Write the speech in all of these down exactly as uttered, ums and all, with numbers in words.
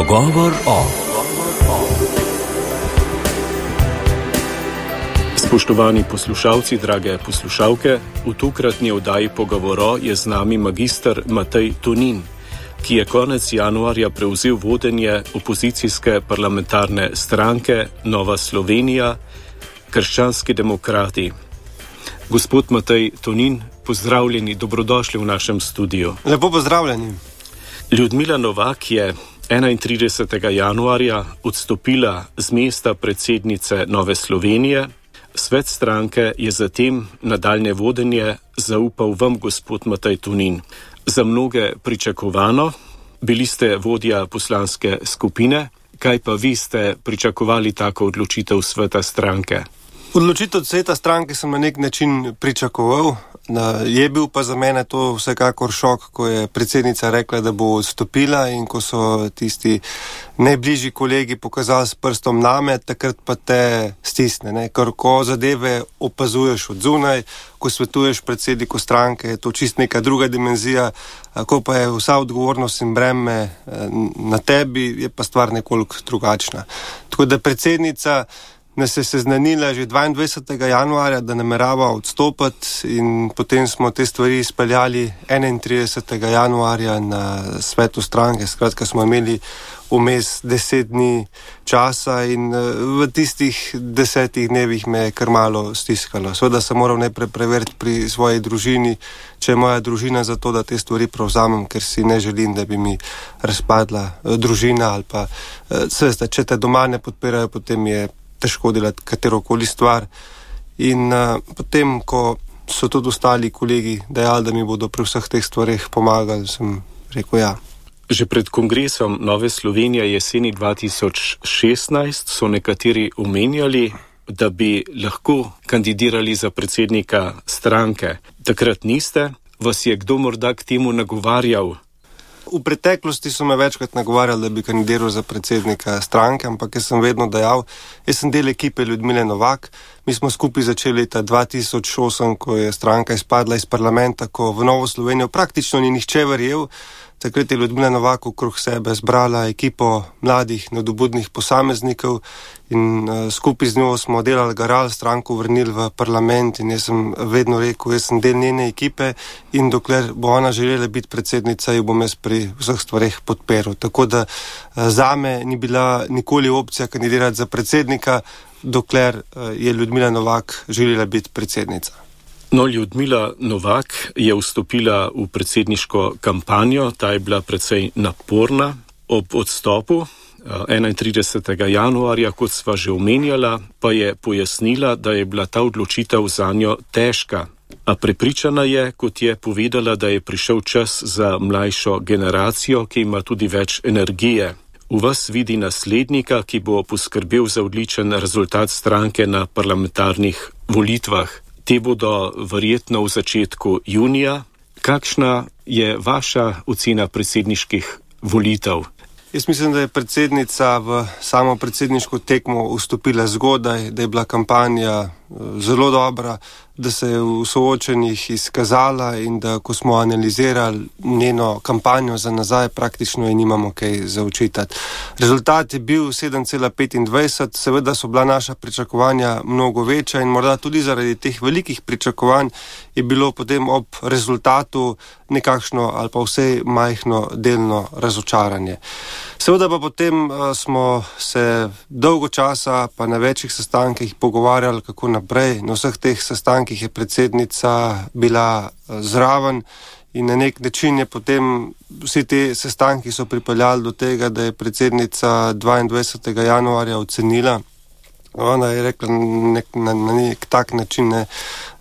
Pogovor o. Spoštovani poslušalci, drage poslušalke, v tokratni oddaji Pogovoro je z nami magister Matej Tonin, ki je konec januarja prevzel vodenje opozicijske parlamentarne stranke Nova Slovenija, Krščanski demokrati. Gospod Matej Tonin, pozdravljeni, dobrodošli v našem studiu. Lepo pozdravljeni. Ljudmila Novak je enaintridesetega januarja odstopila z mesta predsednice Nove Slovenije. Svet stranke je zatem nadaljnje vodenje zaupal vam, gospod Matej Tonin. Za mnoge pričakovano, bili ste vodja poslanske skupine, kaj pa vi ste pričakovali tako odločitev sveta stranke? Odločitev sveta stranke sem na nek način pričakoval. Je bil pa za mene to vsekakor šok, ko je predsednica rekla, da bo odstopila, in ko so tisti najbližji kolegi pokazali s prstom name, takrat pa te stisne. Ne? Ker ko zadeve opazuješ od zunaj, ko svetuješ predsedniku stranke, je to čist neka druga dimenzija, ko pa je vsa odgovornost in breme na tebi, je pa stvar nekoliko drugačna. Tako da predsednica nas je seznanila že dvaindvajsetega januarja, da namerava odstopiti, in potem smo te stvari izpeljali enaintridesetega januarja na svetu stranke. Skratka, smo imeli vmes deset dni časa in v tistih desetih dnevih me je kar malo stiskalo. Seveda sem moral najprej preveriti pri svoji družini, če je moja družina za to, da te stvari prevzamem, ker si ne želim, da bi mi razpadla družina ali pa seveda, če te doma ne podpirajo, potem je težko delati katerokoli stvar. In uh, potem, ko so tudi ostali kolegi dejali, da mi bodo pri vseh teh stvareh pomagali, sem rekel ja. Že pred kongresom Nove Slovenije jeseni dva tisoč šestnajst so nekateri omenjali, da bi lahko kandidirali za predsednika stranke. Takrat niste. Vas je kdo morda k temu nagovarjal? V preteklosti so me večkrat nagovarjali, da bi kandidiral za predsednika stranke, ampak jaz sem vedno dejal, jaz sem del ekipe Ljudmile Novak. Mi smo skupaj začeli leta dva tisoč osem, ko je stranka izpadla iz parlamenta, ko v Novo Slovenijo praktično ni nihče verjel. Takrat je Ljudmila Novak okrog sebe zbrala ekipo mladih, nadobudnih posameznikov in uh, skupaj z njo smo delali, garali, stranko vrnili v parlament, in jaz sem vedno rekel, jaz sem del njene ekipe in dokler bo ona želela biti predsednica, jo bom jaz pri vseh stvareh podperil. Tako da uh, zame ni bila nikoli opcija kandidirati za predsednika, dokler uh, je Ljudmila Novak želela biti predsednica. No, Ljudmila Novak je vstopila v predsedniško kampanjo, ta je bila precej naporna. Ob odstopu enaintridesetega januarja, kot sva že omenjala, pa je pojasnila, da je bila ta odločitev zanjo težka. A prepričana je, kot je povedala, da je prišel čas za mlajšo generacijo, ki ima tudi več energije. V vas vidi naslednika, ki bo poskrbel za odličen rezultat stranke na parlamentarnih volitvah. Te bodo verjetno v začetku junija. Kakšna je vaša ocena predsedniških volitev? Jaz mislim, da je predsednica v samo predsedniško tekmo vstopila zgodaj, da je bila kampanja zelo dobra, da se je v soočenjih izkazala in da, ko smo analizirali njeno kampanjo za nazaj, praktično je nimamo kaj za očitati. Rezultat je bil sedem cela petindvajset, seveda so bila naša pričakovanja mnogo večja in morda tudi zaradi teh velikih pričakovanj je bilo potem ob rezultatu nekakšno ali pa vsej majhno delno razočaranje. Seveda pa potem uh, smo se dolgo časa pa na večjih sestankih pogovarjali, kako naprej. Na vseh teh sestankih je predsednica bila uh, zraven in na nek način je potem vsi te sestanki so pripeljali do tega, da je predsednica dvaindvajsetega januarja ocenila. Ona je rekla nek, na, na nek tak način, ne,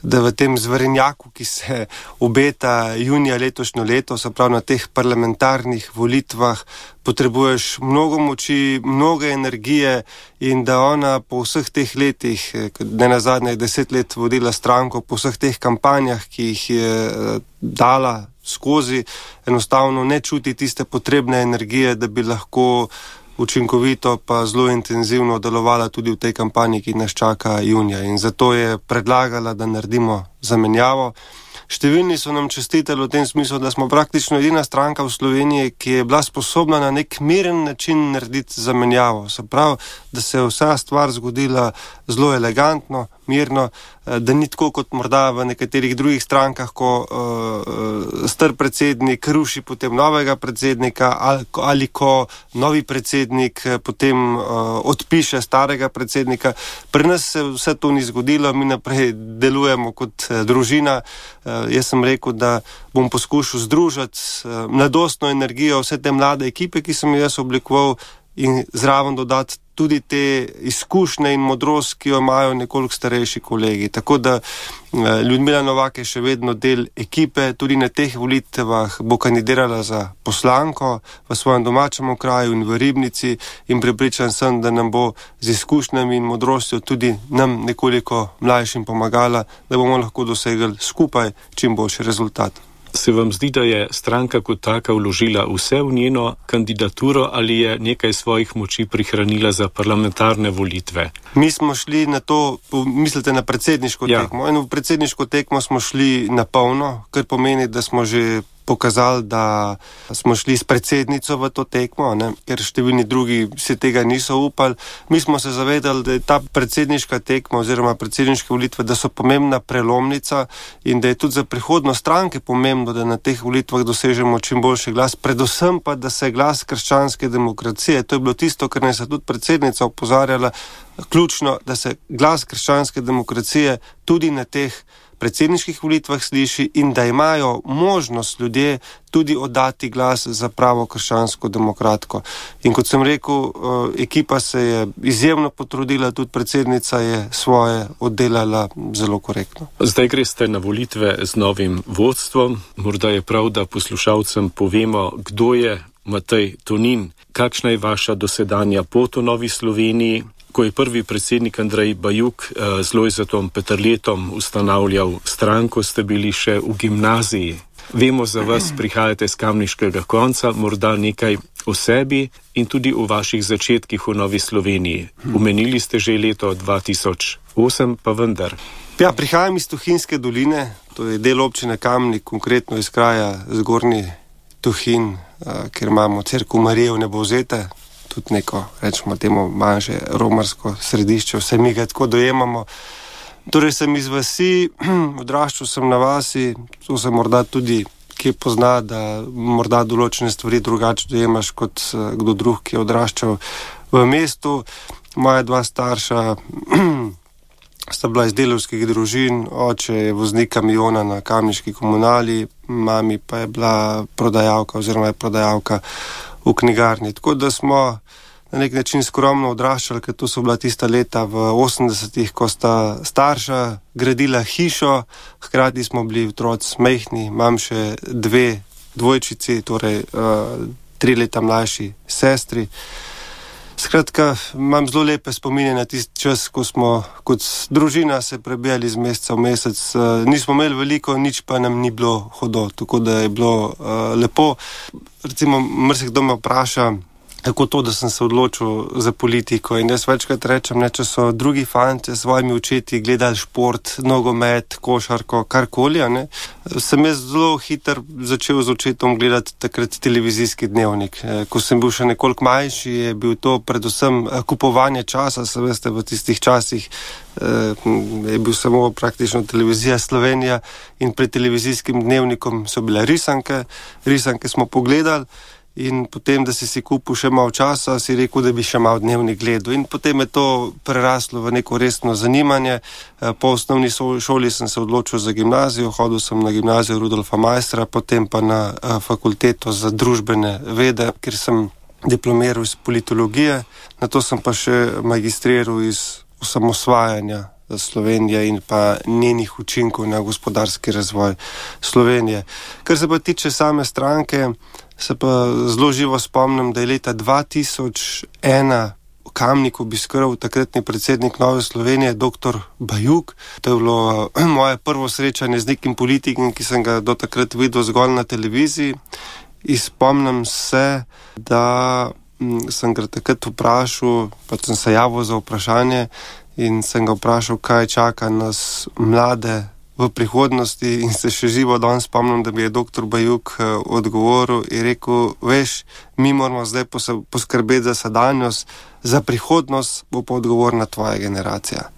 da v tem zverenjaku, ki se obeta junija letošnjo leto, se pravi na teh parlamentarnih volitvah, potrebuješ mnogo moči, mnogo energije, in da ona po vseh teh letih, ne nazadnje deset let vodila stranko, po vseh teh kampanjah, ki jih je dala skozi, enostavno ne čuti tiste potrebne energije, da bi lahko učinkovito pa zelo intenzivno delovala tudi v tej kampanji, ki nas čaka junija. In zato je predlagala, da naredimo zamenjavo. številni so nam čestitali v tem smislu, da smo praktično edina stranka v Sloveniji, ki je bila sposobna na nek miren način narediti zamenjavo. Se pravi, da se je vsa stvar zgodila zelo elegantno, mirno, da ni tako kot morda v nekaterih drugih strankah, ko uh, star predsednik ruši potem novega predsednika ali, ali ko novi predsednik potem uh, odpiše starega predsednika. Pri nas se vse to ni zgodilo, mi naprej delujemo kot uh, družina. Uh, jaz sem rekel, da bom poskušal združiti uh, mladostno energijo vse te mlade ekipe, ki sem jaz oblikoval, in zraven dodati tudi te izkušnje in modrost, ki jo imajo nekoliko starejši kolegi. Tako da Ljudmila Novak je še vedno del ekipe, tudi na teh volitvah bo kandidirala za poslanko v svojem domačem okraju in v Ribnici, in prepričan sem, da nam bo z izkušnjami in modrostjo tudi nam nekoliko mlajšim pomagala, da bomo lahko dosegli skupaj čim boljši rezultat. Se vam zdi, da je stranka kot taka vložila vse v njeno kandidaturo ali je nekaj svojih moči prihranila za parlamentarne volitve? Mi smo šli na to, mislite na predsedniško ja. tekmo, in v predsedniško tekmo smo šli na polno, kar pomeni, da smo že pokazali, da smo šli s predsednico v to tekmo, ne? Ker številni drugi se tega niso upali. Mi smo se zavedali, da je ta predsedniška tekma oziroma predsedniške volitve, da so pomembna prelomnica in da je tudi za prihodnost stranke pomembno, da na teh volitvah dosežemo čim boljši glas, predvsem pa, da se glas krščanske demokracije, to je bilo tisto, kar nas je tudi predsednica opozarjala, ključno, da se glas krščanske demokracije tudi na teh predsedniških volitvah sliši in da imajo možnost ljudje tudi oddati glas za pravo krščansko demokratko. In kot sem rekel, ekipa se je izjemno potrudila, tudi predsednica je svoje oddelala zelo korektno. Zdaj greste na volitve z novim vodstvom. Morda je prav, da poslušalcem povemo, kdo je Matej Tonin, kakšna je vaša dosedanja pot v Novi Sloveniji. Ko je prvi predsednik Andrej Bajuk z Lojzetom Peterletom ustanavljal stranko, ste bili še v gimnaziji. Vemo za vas, prihajate z kamniškega konca, morda nekaj o sebi in tudi o vaših začetkih v Novi Sloveniji. Omenili ste že leto dva tisoč osem, pa vendar. Ja, prihajam iz Tuhinjske doline, to je del občine Kamnik, konkretno iz kraja Zgornji Tuhinj, kjer imamo cerkev Marije Vnebovzete, tudi neko, rečemo temu, manjše romarsko središče, vse mi ga tako dojemamo. Torej sem iz vasi, odraščal sem na vasi, to se morda tudi kje pozna, da morda določene stvari drugače dojemaš kot kdo drug, ki je odraščal v mestu. Moja dva starša sta bila iz delavskih družin, oče je voznik kamiona na kamniški komunali, mami pa je bila prodajalka oziroma je prodajalka v knjigarni. Tako da smo na nek način skromno odraščali, ker to so bila tista leta v osemdesetih, ko sta starša gradila hišo, hkrati smo bili otroci mehni, imam še dve dvojčici, torej uh, tri leta mlajši sestri. Skratka, imam zelo lepe spomine na tisti čas, ko smo kot družina se prebijali z meseca v mesec. Uh, nismo imeli veliko, nič pa nam ni bilo hudo, tako da je bilo uh, lepo. Recimo, marsikdo me vpraša, kako to, da sem se odločil za politiko, in jaz večkrat rečem, ne, če so drugi fanti s svojimi očeti gledali šport, nogomet, košarko, karkoli, ne, sem jaz zelo hiter začel z očetom gledati takrat televizijski dnevnik. Ko sem bil še nekoliko manjši, je bil to predvsem kupovanje časa, se veste, v tistih časih je bil samo praktično televizija Slovenija in pred televizijskim dnevnikom so bile risanke, risanke smo pogledali. In potem, da si si kupil še malo časa, si rekel, da bi še malo dnevnik gledal. In potem je to preraslo v neko resno zanimanje. Po osnovni šoli sem se odločil za gimnazijo, hodil sem na gimnazijo Rudolfa Maistra, potem pa na fakulteto za družbene vede, kjer sem diplomiral iz politologije. Nato sem pa še magistriral iz osamosvajanja Slovenije in pa njenih učinkov na gospodarski razvoj Slovenije. Kar se pa tiče same stranke, se pa zelo živo spomnim, da je leta dva tisoč ena v Kamniku obiskal takratni predsednik Nove Slovenije, doktor Bajuk. To je bilo moje prvo srečanje z nekim politikom, ki sem ga do takrat videl zgolj na televiziji. In spomnim se, da sem ga takrat vprašal, pa sem se javil za vprašanje in sem ga vprašal, kaj čaka nas mlade v prihodnosti in se še živo danes spomnim, da bi je doktor Bajuk odgovoril in rekel, veš, mi moramo zdaj poskrbeti za sedanjost, za prihodnost bo pa odgovorna tvoja generacija.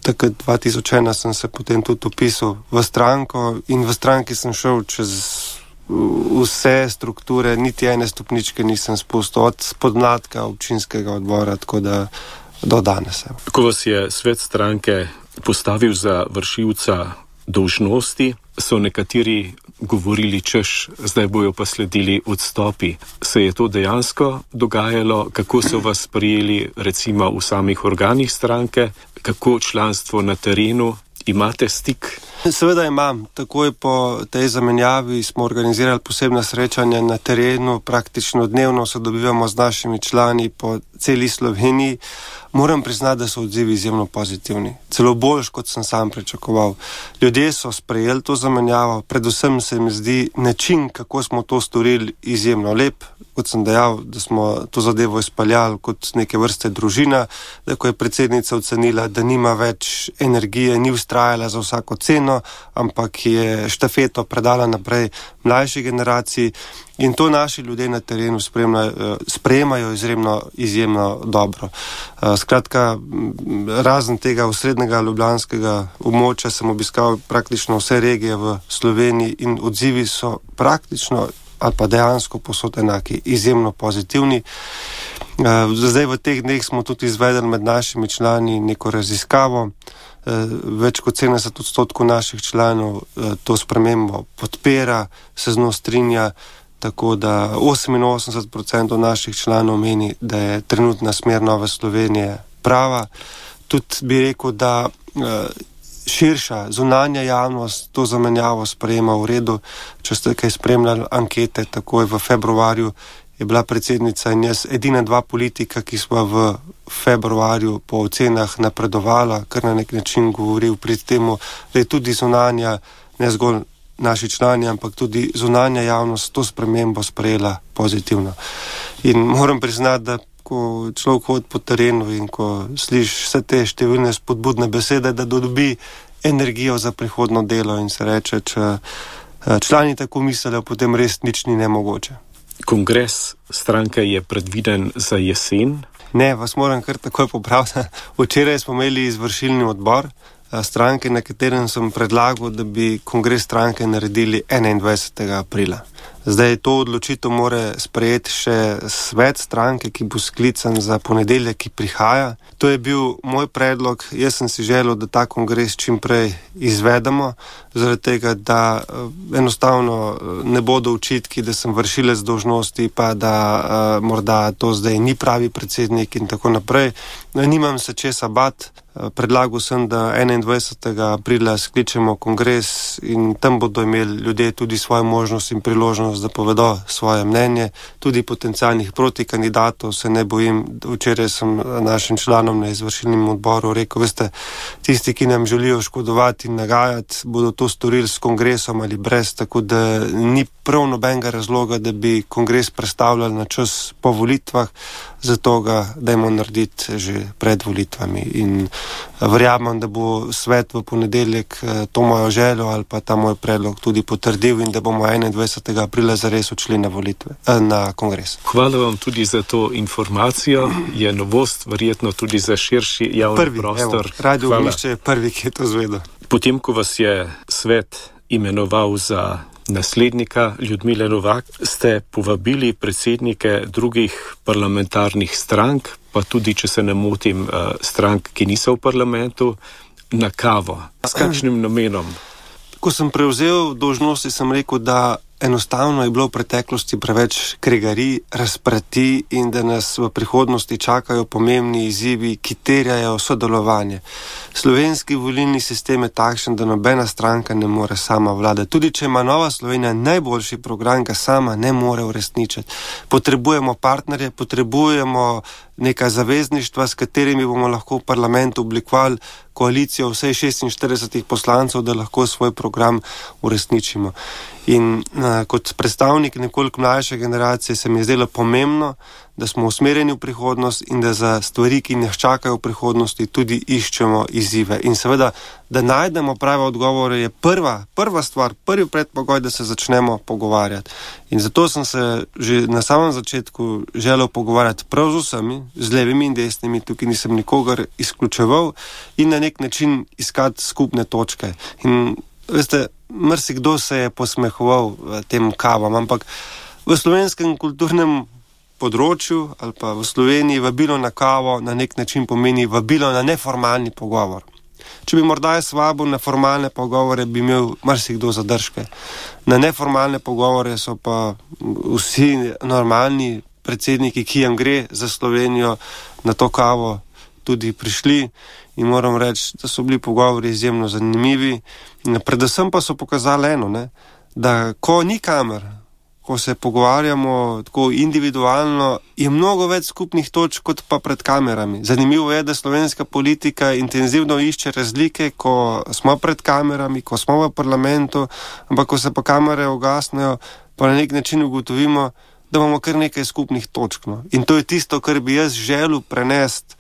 Takrat dva tisoč ena sem se potem tudi upisal v stranko in v stranki sem šel čez vse strukture, niti ene stopničke nisem spustil od podmladka občinskega odbora, tako da do danes. Ko vas je svet stranke postavil za vršilca dolžnosti, so nekateri govorili, češ, zdaj bojo pa sledili odstopi. Se je to dejansko dogajalo? Kako so vas prijeli recimo v samih organih stranke? Kako članstvo na terenu? Imate stik? Seveda imam. Takoj po tej zamenjavi smo organizirali posebna srečanja na terenu, praktično dnevno se dobivamo z našimi člani po celi Sloveniji. Moram priznati, da so odzivi izjemno pozitivni. Celo boljš, kot sem sam pričakoval. Ljudje so sprejeli to zamenjavo, predvsem se mi zdi način, kako smo to storili, izjemno lep. Kot sem dejal, da smo to zadevo izpeljali kot neke vrste družina, da ko je predsednica ocenila, da nima več energije, ni vztrajala za vsako ceno, ampak je štafeto predala naprej mlajši generaciji in to naši ljudje na terenu sprejemajo izjemno, izjemno dobro. Skratka, razen tega osrednjega ljubljanskega območja sem obiskal praktično vse regije v Sloveniji in odzivi so praktično ali pa dejansko posod enaki, izjemno pozitivni. Zdaj v teh dneh smo tudi izvedeli med našimi člani neko raziskavo. Več kot sedemdeset odstotkov naših članov to spremembo podpira, se z njo strinja, tako da oseminosemdeset procentov naših članov meni, da je trenutna smer Nove Slovenije prava. Tudi bi rekel, da širša zunanja javnost to zamenjavo sprejema v redu. Če ste kaj spremljali ankete, takoj v februarju je bila predsednica in jaz edina dva politika, ki smo v februarju po ocenah napredovala, kar na nek način govoril pri temu, da je tudi zunanja, ne zgolj naši člani, ampak tudi zunanja javnost to spremembo sprejela pozitivno. In moram priznati, da ko človek hodi po terenu in ko sliši vse te številne spodbudne besede, da dobi energijo za prihodno delo in se reče, če člani tako mislijo, potem res nič ni nemogoče. Kongres stranke je predviden za jesen? Ne, vas moram kar takoj popraviti. Včeraj smo imeli izvršilni odbor stranke, na katerem sem predlagal, da bi kongres stranke naredili enaindvajsetega aprila. Zdaj to odločitev mora sprejeti še svet stranke, ki bo sklican za ponedeljek, ki prihaja. To je bil moj predlog. Jaz sem si želel, da ta kongres čim prej izvedemo, zaradi tega, da enostavno ne bodo očitki, da sem vršilec dolžnosti, pa da uh, morda to zdaj ni pravi predsednik in tako naprej. Nimam se česa bat. Predlagal sem, da enaindvajsetega aprila skličemo kongres in tam bodo imeli ljudje tudi svojo možnost in priložnost, da povedo svoje mnenje. Tudi potencialnih protikandidatov se ne bojim. Včeraj sem našim članom na izvršilnem odboru rekel, veste, tisti, ki nam želijo škodovati in nagajati, bodo to storili s kongresom ali brez, tako da ni prav nobenega razloga, da bi kongres predstavljali na čas po volitvah, zato ga dajmo narediti že pred volitvami. In verjamem, da bo svet v ponedeljek to mojo željo ali pa ta moj predlog tudi potrdil in da bomo enaindvajsetega aprila zares odšli na volitve, na kongres. Hvala vam tudi za to informacijo. Je novost verjetno tudi za širši javni prvi, prostor. Evo, Radio Ognjišče je prvi, ki je to zvedel. Potem, ko vas je svet imenoval za naslednika Ljudmile Novak, ste povabili predsednike drugih parlamentarnih strank, pa tudi, če se ne motim, strank, ki niso v parlamentu, na kavo. S kakšnim namenom? Ko sem prevzel dolžnosti, sem rekel, da enostavno je bilo v preteklosti preveč kregarij, razprati in da nas v prihodnosti čakajo pomembni izzivi, ki terjajo sodelovanje. Slovenski volilni sistem je takšen, da nobena stranka ne more sama vladati. Tudi če ima Nova Slovenija najboljši program, ga sama ne more uresničiti. Potrebujemo partnerje, potrebujemo neka zavezništva, s katerimi bomo lahko v parlamentu oblikovali koalicijo vsej šestinštiridesetih poslancev, da lahko svoj program uresničimo. In uh, kot predstavnik nekoliko mlajše generacije se mi je zdelo pomembno, da smo usmerjeni v prihodnost in da za stvari, ki nas čakajo v prihodnosti, tudi iščemo izzive. In seveda, da najdemo prave odgovore, je prva, prva stvar, prvi predpogoj, da se začnemo pogovarjati. In zato sem se že na samem začetku želel pogovarjati prav z vsemi, z levimi in desnimi, tukaj nisem nikogar izključeval in na nek način iskati skupne točke. In veste, marsikdo se je posmehoval tem kavam, ampak v slovenskem kulturnem področju ali pa v Sloveniji vabilo na kavo na nek način pomeni vabilo na neformalni pogovor. Če bi morda jaz vabil na formalne pogovore, bi imel marsikdo zadržke. Na neformalne pogovore so pa vsi normalni predsedniki, ki jim gre za Slovenijo, na to kavo tudi prišli in moram reči, da so bili pogovori izjemno zanimivi. Predvsem pa so pokazali eno, ne, da ko ni kamer, ko se pogovarjamo tako individualno, je mnogo več skupnih točk kot pa pred kamerami. Zanimivo je, da slovenska politika intenzivno išče razlike, ko smo pred kamerami, ko smo v parlamentu, ampak ko se pa kamere ugasnejo, pa na nek način ugotovimo, da imamo kar nekaj skupnih točk. No. In to je tisto, kar bi jaz želel prenesti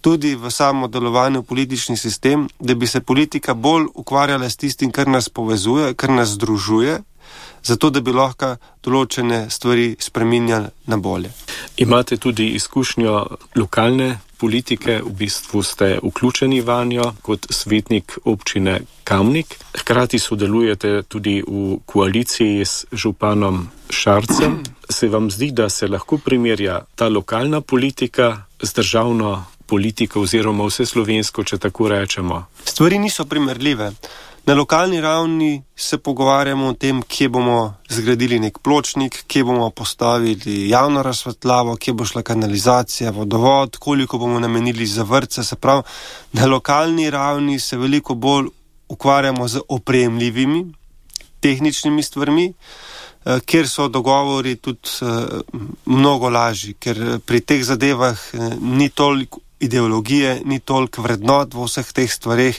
tudi v samo delovanje v politični sistem, da bi se politika bolj ukvarjala s tistim, kar nas povezuje, kar nas združuje, zato da bi lahko določene stvari spreminjali na bolje. Imate tudi izkušnjo lokalne politike, v bistvu ste vključeni vanjo kot svetnik občine Kamnik. Hkrati sodelujete tudi v koaliciji s županom Šarcem. Se vam zdi, da se lahko primerja ta lokalna politika z državno politiko oziroma vse slovensko, če tako rečemo? Stvari niso primerljive. Na lokalni ravni se pogovarjamo o tem, kje bomo zgradili nek pločnik, kje bomo postavili javno razsvetljavo, kje bo šla kanalizacija, vodovod, koliko bomo namenili za vrtce. Se pravi, na lokalni ravni se veliko bolj ukvarjamo z opremljivimi tehničnimi stvarmi, kjer so dogovori tudi mnogo lažji, ker pri teh zadevah ni toliko ideologije, ni toliko vrednot v vseh teh stvareh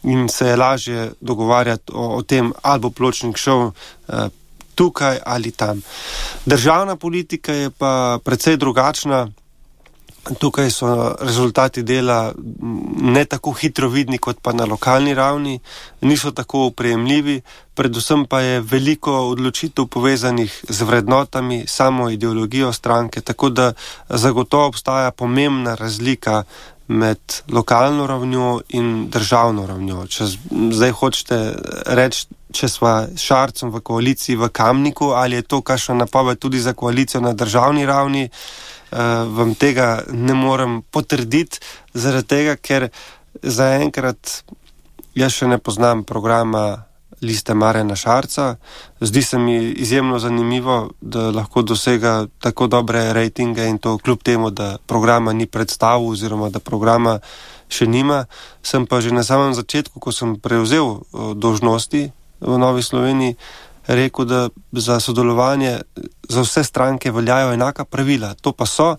in se je lažje dogovarjati o, o tem, ali bo pločnik šel eh, tukaj ali tam. Državna politika je pa precej drugačna. Tukaj so rezultati dela ne tako hitro vidni kot pa na lokalni ravni, niso tako oprejemljivi, predvsem pa je veliko odločitev povezanih z vrednotami, samo ideologijo stranke, tako da zagotovo obstaja pomembna razlika med lokalno ravnjo in državno ravnjo. Če zdaj hočete reči, če sva Šarcem v koaliciji v Kamniku, ali je to kakšna napoved tudi za koalicijo na državni ravni, Uh, vam tega ne morem potrditi, zaradi tega, ker zaenkrat jaz še ne poznam programa Liste Marjana Šarca. Zdi se mi izjemno zanimivo, da lahko dosega tako dobre rejtinge in to kljub temu, da programa ni predstavil oziroma da programa še nima. Sem pa že na samem začetku, ko sem prevzel uh, dolžnosti v Novi Sloveniji, rekel, da za sodelovanje za vse stranke veljajo enaka pravila. To pa so,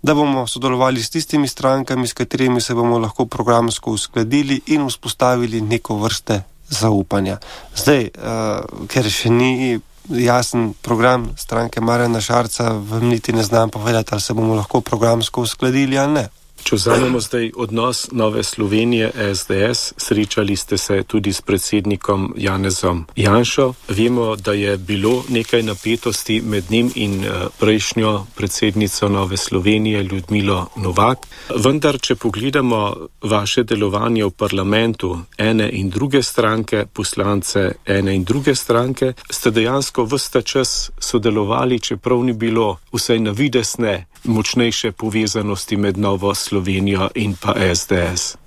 da bomo sodelovali s tistimi strankami, s katerimi se bomo lahko programsko uskladili in vzpostavili neko vrste zaupanja. Zdaj, uh, ker še ni jasen program stranke Marjana Šarca, vam niti ne znam povedati, ali se bomo lahko programsko uskladili ali ne. Če vzamemo zdaj odnos Nove Slovenije, S D S, srečali ste se tudi s predsednikom Janezom Janšo. Vemo, da je bilo nekaj napetosti med njim in prejšnjo predsednico Nove Slovenije, Ljudmilo Novak. Vendar, če pogledamo vaše delovanje v parlamentu ene in druge stranke, poslance ene in druge stranke, ste dejansko ves ta čas sodelovali, čeprav ni bilo vsaj na vides ne močnejše povezanosti med Novo Slovenijo in pa S D S.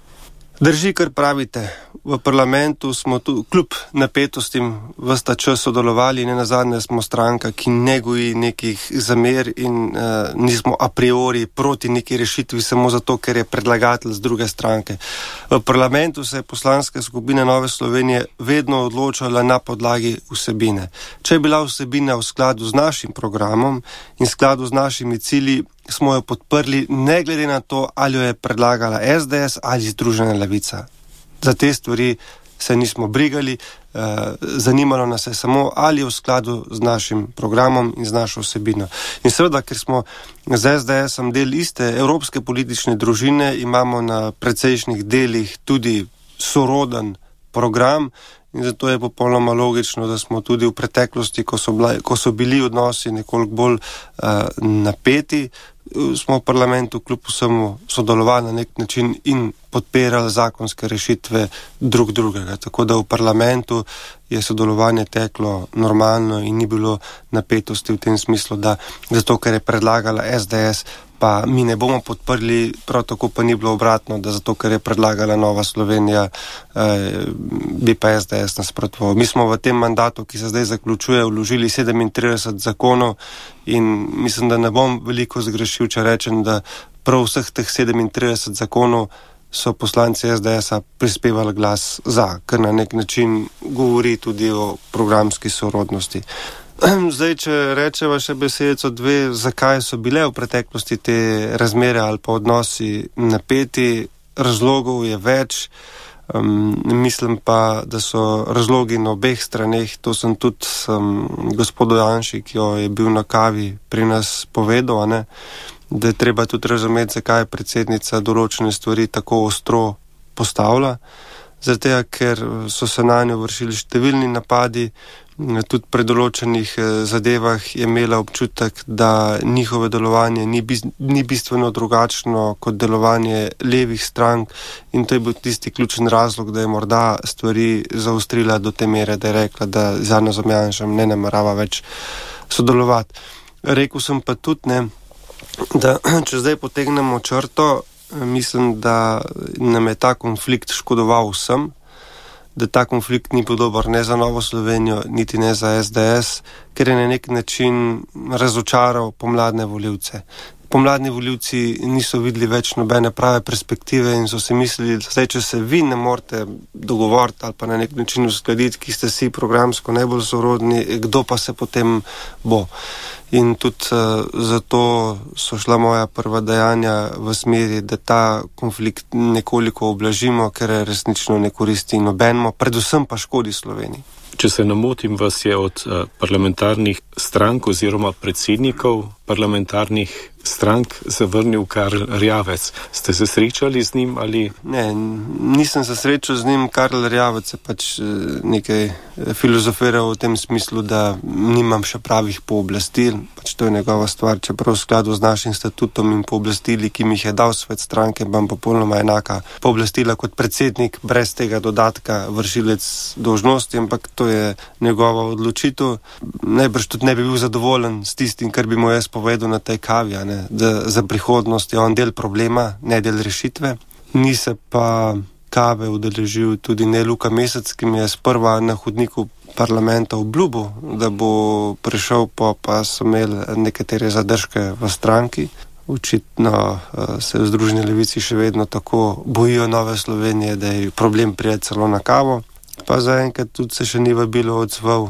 Drži, kar pravite. V parlamentu smo tu kljub napetostim ves ta čas sodelovali, ne nazadnje smo stranka, ki ne goji nekih zamer in uh, nismo a priori proti neki rešitvi samo zato, ker je predlagatelj z druge stranke. V parlamentu se je poslanska skupina Nove Slovenije vedno odločala na podlagi vsebine. Če je bila vsebina v skladu z našim programom in v skladu z našimi cilji, smo jo podprli, ne glede na to, ali jo je predlagala S D S ali Združena levica. Za te stvari se nismo brigali, zanimalo nas je samo, ali je v skladu z našim programom in z našo vsebino. In seveda, ker smo z es de esom del iste evropske politične družine, imamo na precejšnjih delih tudi soroden program in zato je popolnoma logično, da smo tudi v preteklosti, ko so, bila, ko so bili odnosi nekoliko bolj uh, napeti, smo v parlamentu kljub vsemu sodelovali na nek način in podpirali zakonske rešitve drug drugega. Tako da v parlamentu je sodelovanje teklo normalno in ni bilo napetosti v tem smislu, da zato, ker je predlagala es de es, pa mi ne bomo podprli, prav tako pa ni bilo obratno, da zato, ker je predlagala Nova Slovenija, eh, bi pa es de es nasprotoval. Mi smo v tem mandatu, ki se zdaj zaključuje, vložili sedemintrideset zakonov in mislim, da ne bom veliko zgrešil, če rečem, da prav vseh teh sedemintrideset zakonov so poslanci es de esa prispevali glas za, kar na nek način govori tudi o programski sorodnosti. Zdaj, če rečeva še besedico dve, zakaj so bile v preteklosti te razmere ali pa odnosi napeti, razlogov je več. Um, mislim pa, da so razlogi na obeh straneh, to sem tudi um, gospodu Janši, ki jo je bil na kavi pri nas povedal, ne, da je treba tudi razumeti, zakaj je predsednica določene stvari tako ostro postavila. Zato, ker so se na njo vršili številni napadi, tudi pri določenih zadevah je imela občutek, da njihove delovanje ni, bis, ni bistveno drugačno kot delovanje levih strank in to je bil tisti ključen razlog, da je morda stvari zaostrila do te mere, da je rekla, da z Janezom Janšem ne namerava več sodelovati. Rekl sem pa tudi, ne, da če zdaj potegnemo črto, mislim, da nam je ta konflikt škodoval vsem, da ta konflikt ni bil dober ne za Novo Slovenijo, niti ne za es de es, ker je na nek način razočaral pomladne volivce. Pomladni volivci niso videli več nobene prave perspektive in so si mislili, da zdaj, če se vi ne morete dogovoriti ali pa na nek način uskladiti, ki ste si programsko najbolj sorodni, kdo pa se potem bo. In tudi uh, zato so šla moja prva dejanja v smeri, da ta konflikt nekoliko oblažimo, ker resnično ne koristi nobenemu, predvsem pa škodi Sloveniji. Če se namotim, vas je od uh, parlamentarnih strank oziroma predsednikov parlamentarnih strank zavrnil Karl Erjavec. Ste se srečali z njim ali? Ne, nisem se srečal z njim. Karl Erjavec je pač nekaj filozofiral v tem smislu, da nimam še pravih pooblastil. Pač to je njegova stvar, čeprav v skladu z našim statutom in pooblastili, ki mi jih je dal svet stranke, imam popolnoma enaka pooblastila kot predsednik, brez tega dodatka vršilec dolžnosti, ampak to je njegova odločitev. Najbrž tudi ne bi bil zadovoljen s tistim, kar bi mu jaz povedal na tej kavi, ne? Da za prihodnost je on del problema, ne del rešitve. Ni se pa kave udeležil tudi ne Luka Mesec, ki mi je sprva na hodniku parlamenta obljubil, da bo prišel, pa, pa so imeli nekatere zadržke v stranki. Očitno uh, se v Združeni levici še vedno tako bojijo Nove Slovenije, da je problem prijeti celo na kavo. Pa zaenkrat tudi se še ni vabilo odzval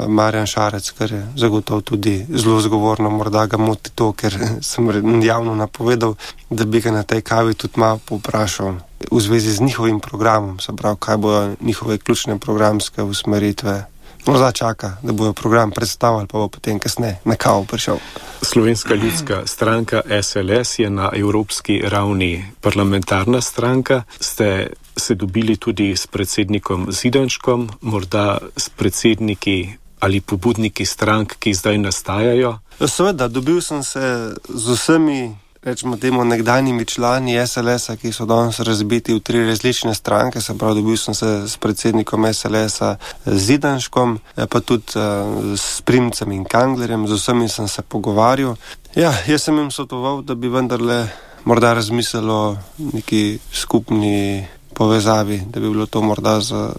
Marjan Šarec, kar je zagotovo tudi zelo zgovorno, morda ga moti to, ker sem javno napovedal, da bi ga na tej kavi tudi malo povprašal v zvezi z njihovim programom, se pravi, kaj bojo njihove ključne programske usmeritve. Morda čaka, da bojo program predstavili, pa bo potem kasneje na kavo prišel. Slovenska ljudska stranka es el es je na evropski ravni parlamentarna stranka. Ste se dobili tudi s predsednikom Zidanškom, morda s predsedniki ali pobudniki strank, ki zdaj nastajajo? Seveda, dobil sem se z vsemi, rečemo temu, nekdanjimi člani es el esa, ki so danes razbiti v tri različne stranke, se pravi, dobil sem se s predsednikom es el esa Zidanškom, pa tudi uh, s Primcem in Kanglerjem, z vsemi sem se pogovarjal. Ja, jaz sem jim svetoval, da bi vendarle morda razmislili o neki skupni povezavi, da bi bilo to morda za,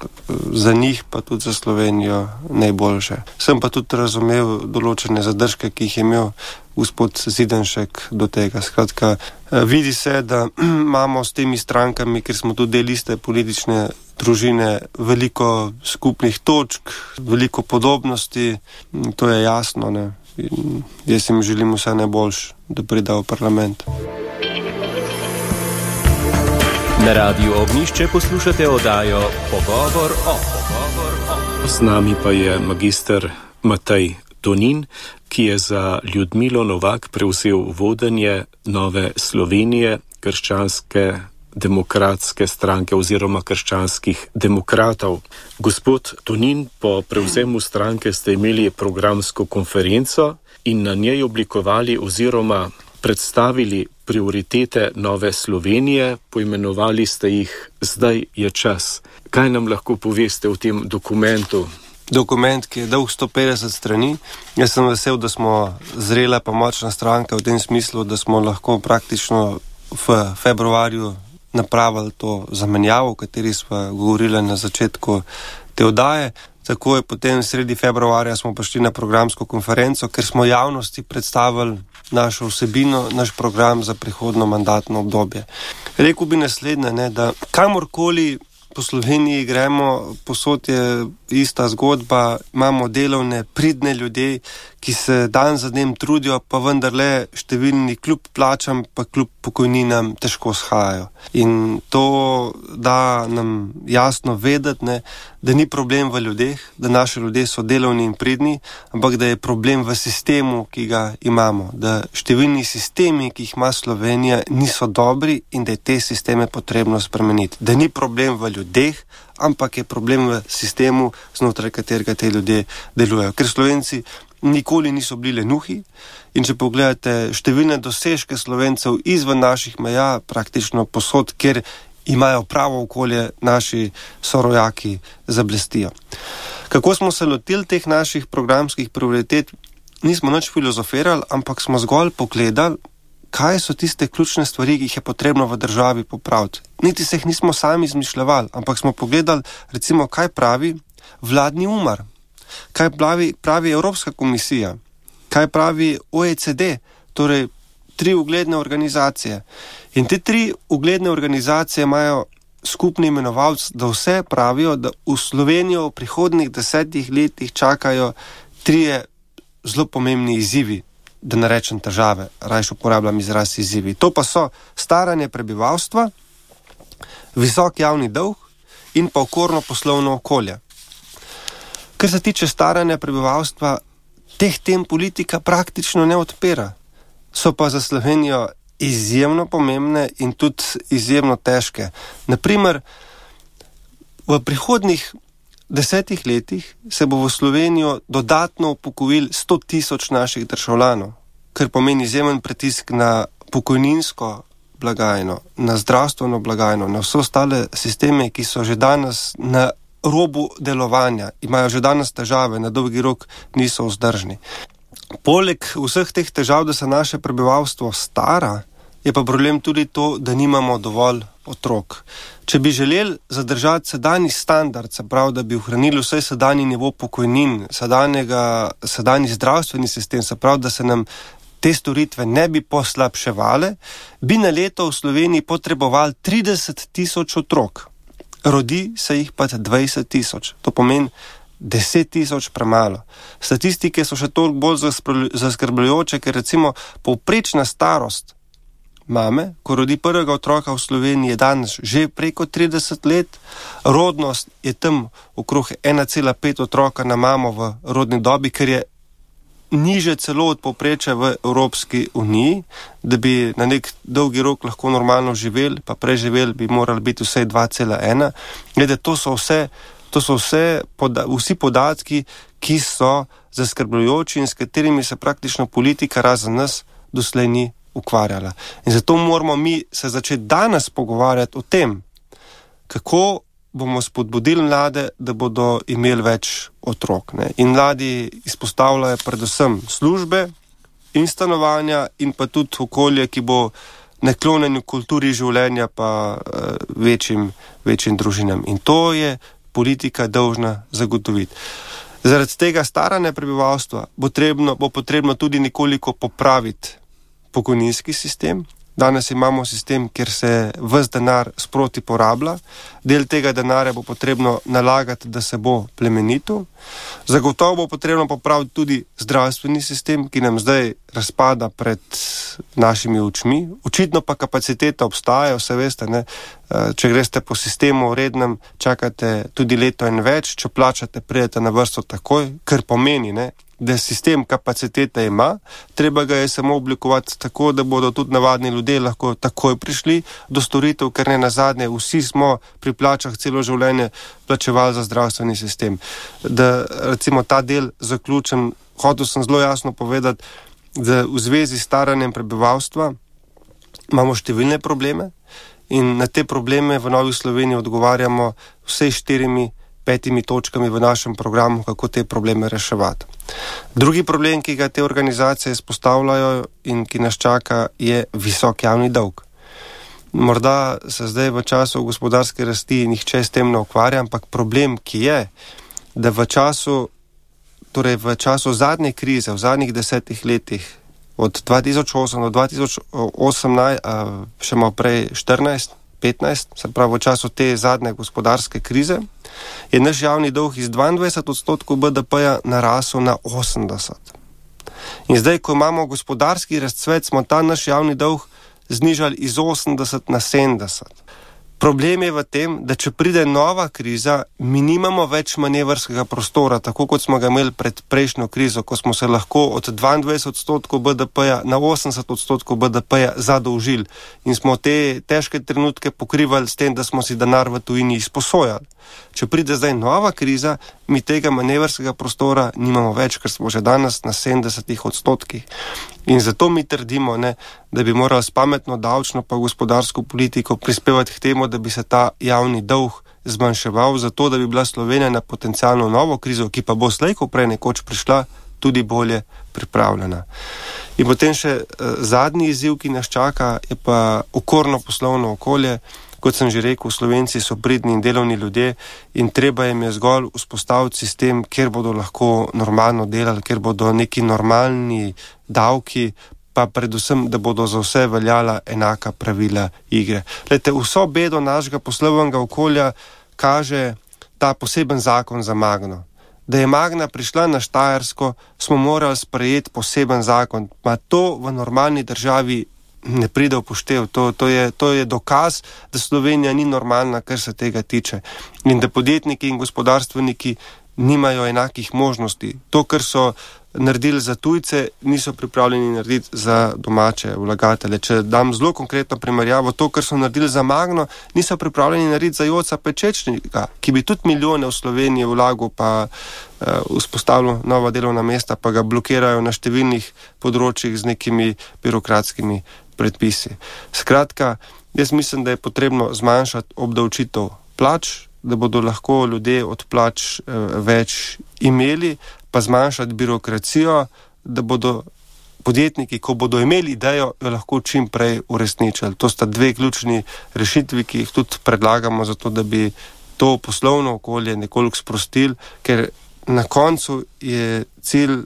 za njih, pa tudi za Slovenijo najboljše. Sem pa tudi razumel določene zadržke, ki jih je imel gospod Zidanšek do tega. Skratka, vidi se, da imamo s temi strankami, ker smo tudi del iste politične družine, veliko skupnih točk, veliko podobnosti, to je jasno, ne? In jaz jim želim vse najboljše, da pride v parlament. Na Radiu Ognjišče poslušate oddajo Pogovor o. Pogovor o. Z nami pa je magister Matej Tonin, ki je za Ljudmilo Novak prevzel vodenje Nove Slovenije, krščanske demokratske stranke oziroma krščanskih demokratov. Gospod Tonin, po prevzemu stranke ste imeli programsko konferenco in na njej oblikovali oziroma predstavili prioritete Nove Slovenije, poimenovali ste jih Zdaj je čas. Kaj nam lahko poveste o tem dokumentu? Dokument, ki je dolg sto petdeset strani. Jaz sem vesel, da smo zrela pa močna stranka v tem smislu, da smo lahko praktično v februarju napravili to zamenjavo, o kateri smo govorili na začetku te oddaje. Tako je potem sredi februarja smo prišli na programsko konferenco, ker smo javnosti predstavili našo vsebino, naš program za prihodno mandatno obdobje. Rekel bi naslednje, ne, da kamorkoli po Sloveniji gremo, posod je ista zgodba, imamo delovne, pridne ljudi, ki se dan za dnem trudijo, pa vendarle številni kljub plačam, pa kljub pokojninam težko shajajo. In to da nam jasno vedeti, ne, da ni problem v ljudeh, da naši ljudje so delovni in pridni, ampak da je problem v sistemu, ki ga imamo, da številni sistemi, ki jih ima Slovenija, niso dobri in da je te sisteme potrebno spremeniti. Da ni problem v ljudeh, ampak je problem v sistemu, znotraj katerega te ljudje delujejo. Ker Slovenci nikoli niso bili lenuhi in če pogledate številne dosežke Slovencev izven naših meja, praktično posod, kjer imajo pravo okolje, naši sorojaki zablestijo. Kako smo se lotili teh naših programskih prioritet? Nismo nič filozofirali, ampak smo zgolj pogledali, kaj so tiste ključne stvari, ki jih je potrebno v državi popraviti. Niti se jih nismo sami izmišljevali, ampak smo pogledali, recimo, kaj pravi vladni umar, kaj pravi, pravi Evropska komisija, kaj pravi O E C D, torej tri ugledne organizacije. In te tri ugledne organizacije imajo skupni imenovalec, da vse pravijo, da v Slovenijo v prihodnjih desetih letih čakajo trije zelo pomembni izzivi, da ne rečem težave, rajš uporabljam izraz izzivi. To pa so staranje prebivalstva, visok javni dolg in pa okorno poslovno okolje. Kar se tiče staranja prebivalstva, teh tem politika praktično ne odpira. So pa za Slovenijo izjemno pomembne in tudi izjemno težke. Naprimer, v prihodnjih desetih letih se bo v Slovenijo dodatno upokojil sto tisoč naših državljanov, kar pomeni izjemen pritisk na pokojninsko blagajno, na zdravstveno blagajno, na vse ostale sisteme, ki so že danes na robu delovanja, imajo že danes težave, na dolgi rok niso vzdržni. Poleg vseh teh težav, da se naše prebivalstvo stara, je pa problem tudi to, da nimamo dovolj otrok. Če bi želeli zadržati sedanji standard, se pravi, da bi ohranili vsaj sedanji nivo pokojnin, sedanji zdravstveni sistem, se pravi, da se nam te storitve ne bi poslabševale, bi na leto v Sloveniji potrebovali trideset tisoč otrok. Rodi se jih pa dvajset tisoč. To pomeni deset tisoč premalo. Statistike so še toliko bolj zaskrbljujoče, ker recimo povprečna starost mame, ko rodi prvega otroka v Sloveniji, je danes že preko trideset let, rodnost je tam okrog ena cela pet otroka na mamo v rodni dobi, ker je niže celo od povprečja v Evropski uniji, da bi na nek dolgi rok lahko normalno živeli, pa preživeli bi morali biti vsaj dva cela ena. Glede, to so vse, to so vse poda, vsi podatki, ki so zaskrbljujoči in s katerimi se praktično politika razen nas doslej ni ukvarjala. In zato moramo mi se začeti danes pogovarjati o tem, kako bomo spodbudili mlade, da bodo imeli več otrok. Ne? In mladi izpostavljajo predvsem službe in stanovanja in pa tudi okolje, ki bo naklonjeno kulturi življenja pa uh, večjim, večjim družinam. In to je politika dolžna zagotoviti. Zaradi tega staranja prebivalstva bo, trebno, bo potrebno tudi nekoliko popraviti pokojninski sistem. Danes imamo sistem, kjer se ves denar sproti porablja. Del tega denarja bo potrebno nalagati, da se bo plemenitil. Zagotovo bo potrebno popraviti tudi zdravstveni sistem, ki nam zdaj razpada pred našimi očmi. Očitno pa kapaciteta obstaja, vse veste, ne? Če greste po sistemu rednem, čakate tudi leto in več, če plačate, pridete na vrsto takoj, kar pomeni, ne? Da sistem kapacitete ima, treba ga je samo oblikovati tako, da bodo tudi navadni ljudje lahko takoj prišli do storitev, ker ne nazadnje vsi smo pri plačah celo življenje plačevali za zdravstveni sistem. Da recimo ta del zaključim, hotel sem zelo jasno povedati, da v zvezi s staranjem prebivalstva imamo številne probleme in na te probleme v Novi Sloveniji odgovarjamo vsej štirimi petimi točkami v našem programu, kako te probleme reševati. Drugi problem, ki ga te organizacije izpostavljajo in ki nas čaka, je visok javni dolg. Morda se zdaj v času gospodarske rasti nihče s tem ne ukvarja, ampak problem, ki je, da v času, torej v času zadnje krize, v zadnjih desetih letih, od dva tisoč osem do dva tisoč osemnajst, še malo prej štirinajst, petnajst, se pravi v času te zadnje gospodarske krize, je naš javni dolg iz dvaindvajset odstotkov B D P-ja narasel na osemdeset. In zdaj, ko imamo gospodarski razcvet, smo ta naš javni dolg znižali iz osemdeset na sedemdeset. Problem je v tem, da če pride nova kriza, mi nimamo več manevrskega prostora, tako kot smo ga imeli pred prejšnjo krizo, ko smo se lahko od dvaindvajset odstotkov B D P-ja na osemdeset odstotkov B D P-ja zadolžili in smo te težke trenutke pokrivali s tem, da smo si denar v tujini izposojali. Če pride zdaj nova kriza, mi tega manevrskega prostora nimamo več, ker smo že danes na sedemdesetih odstotkih. In zato mi trdimo, ne, da bi morali s pametno davčno pa gospodarsko politiko prispevati k temu, da bi se ta javni dolg zmanjševal, zato da bi bila Slovenija na potencialno novo krizo, ki pa bo slej ko prej nekoč prišla, tudi bolje pripravljena. In potem še eh, zadnji izziv, ki nas čaka, je pa okorno poslovno okolje. Kot sem že rekel, Slovenci so pridni in delovni ljudje in treba jim je zgolj vzpostaviti sistem, kjer bodo lahko normalno delali, kjer bodo neki normalni davki, pa predvsem, da bodo za vse veljala enaka pravila igre. Lejte, vso bedo našega poslovnega okolja kaže ta poseben zakon za Magno. Da je Magna prišla na Štajersko, smo morali sprejeti poseben zakon. Ma to v normalni državi ne pride v poštev. To, to, je, to je dokaz, da Slovenija ni normalna, kar se tega tiče. In da podjetniki in gospodarstveniki nimajo enakih možnosti. To, kar so naredili za tujce, niso pripravljeni narediti za domače vlagatelje. Če dam zelo konkretno primerjavo, to, kar so naredili za Magno, niso pripravljeni narediti za Joca Pečečnika, ki bi tudi milijone v Sloveniji vlagal, pa uh, vzpostavil nova delovna mesta, pa ga blokirajo na številnih področjih z nekimi birokratskimi predpisi. Skratka, jaz mislim, da je potrebno zmanjšati obdavčitev plač, da bodo lahko ljudje od plač uh, več imeli, pa zmanjšati birokracijo, da bodo podjetniki, ko bodo imeli idejo, jo lahko čim prej uresničili. To sta dve ključni rešitvi, ki jih tudi predlagamo, zato da bi to poslovno okolje nekoliko sprostili, ker na koncu je cilj,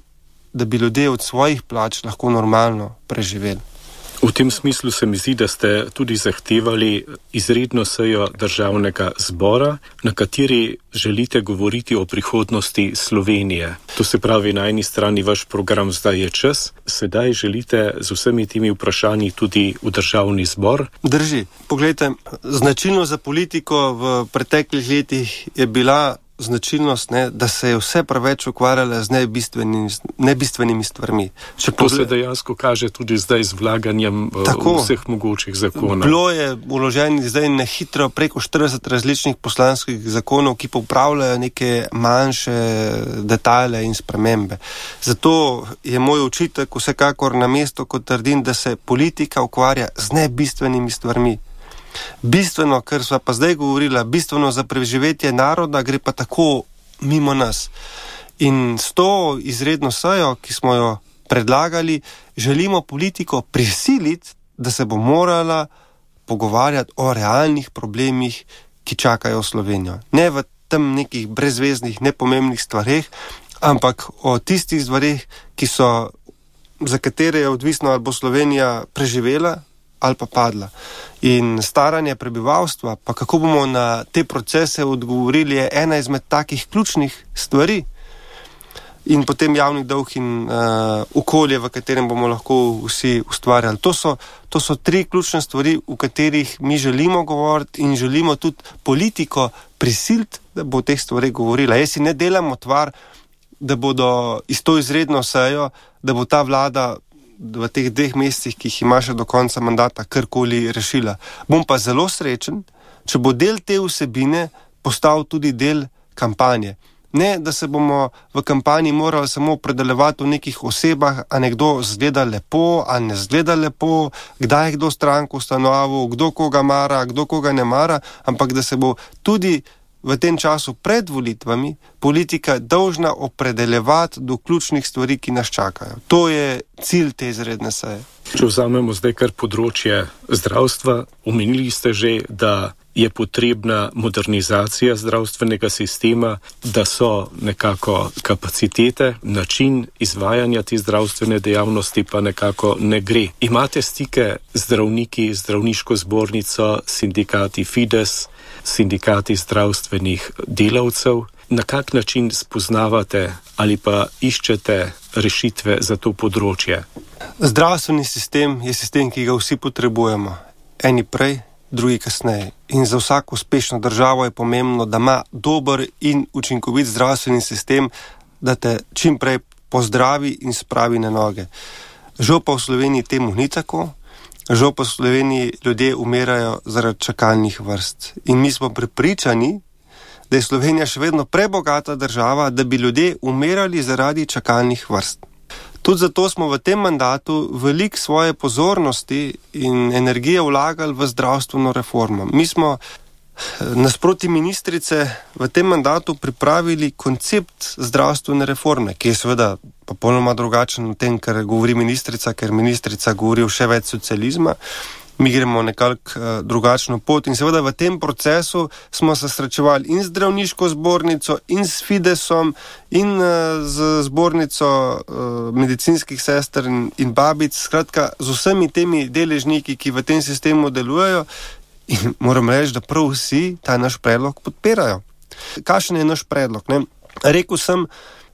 da bi ljudje od svojih plač lahko normalno preživeli. V tem smislu se mi zdi, da ste tudi zahtevali izredno sejo državnega zbora, na kateri želite govoriti o prihodnosti Slovenije. To se pravi, na eni strani vaš program Zdaj je čas, sedaj želite z vsemi temi vprašanji tudi v državni zbor. Drži. Poglejte, značilno za politiko v preteklih letih je bila značilnost, ne, da se je vse preveč ukvarjala z nebistvenimi, nebistvenimi stvarmi. Če to pogled... se dejansko kaže tudi zdaj z vlaganjem Tako, vseh mogočih zakonov. Bilo je vloženih zdaj na hitro preko štirideset različnih poslanskih zakonov, ki popravljajo neke manjše detajle in spremembe. Zato je moj očitek vsekakor na mesto, ko trdim, da se politika ukvarja z nebistvenimi stvarmi. Bistveno, kar sva pa zdaj govorila, bistveno za preživetje naroda, gre pa tako mimo nas. In s to izredno sejo, ki smo jo predlagali, želimo politiko prisiliti, da se bo morala pogovarjati o realnih problemih, ki čakajo Slovenijo. Ne v tem nekih brezveznih, nepomembnih stvareh, ampak o tistih stvareh, ki so, za katere je odvisno, ali bo Slovenija preživela ali pa padla. In staranje prebivalstva, pa kako bomo na te procese odgovorili, je ena izmed takih ključnih stvari. in potem javni dolg in uh, okolje, v katerem bomo lahko vsi ustvarjali. To so, to so tri ključne stvari, v katerih mi želimo govoriti in želimo tudi politiko prisiliti, da bo o teh stvarih govorila. Jaz si ne delam otvar, da bodo iz to izredno sejo, da bo ta vlada v teh dveh mesecih, ki jih ima še do konca mandata, karkoli rešila. Bom pa zelo srečen, če bo del te vsebine postal tudi del kampanje. Ne, da se bomo v kampanji morali samo predelevati o nekih osebah, a nekdo zgleda lepo, a ne zgleda lepo, kdaj je kdo stranko ustanovil, kdo koga mara, kdo koga ne mara, ampak da se bo tudi v tem času pred volitvami politika dolžna opredeljevati do ključnih stvari, ki nas čakajo. To je cilj te izredne seje. Če vzamemo zdaj kar področje zdravstva, omenili ste že, da je potrebna modernizacija zdravstvenega sistema, da so nekako kapacitete, način izvajanja te zdravstvene dejavnosti pa nekako ne gre. Imate stike z zdravniki, zdravniško zbornico, sindikati Fides, sindikati zdravstvenih delavcev? Na kak način spoznavate ali pa iščete rešitve za to področje? Zdravstveni sistem je sistem, ki ga vsi potrebujemo. Eni prej, drugi kasneje. In za vsako uspešno državo je pomembno, da ima dober in učinkovit zdravstveni sistem, da te čim prej pozdravi in spravi na noge. Žal pa v Sloveniji temu ni tako. Žal pa v Sloveniji ljudje umirajo zaradi čakalnih vrst. In mi smo prepričani, da je Slovenija še vedno prebogata država, da bi ljudje umirali zaradi čakalnih vrst. Tudi zato smo v tem mandatu veliko svoje pozornosti in energije vlagali v zdravstveno reformo. Mi smo nasproti ministrice v tem mandatu pripravili koncept zdravstvene reforme, ki je seveda popolnoma drugačen od tem, kar govori ministrica, ker ministrica govori o še več socializma. Mi gremo nekako uh, drugačno pot in seveda v tem procesu smo se srečevali in z zdravniško zbornico, in s Fidesom, in uh, z zbornico uh, medicinskih sester in, in babic, skratka z vsemi temi deležniki, ki v tem sistemu delujejo, in moram reči, da prav vsi ta naš predlog podpirajo. Kakšen je naš predlog? Ne? Rekel sem,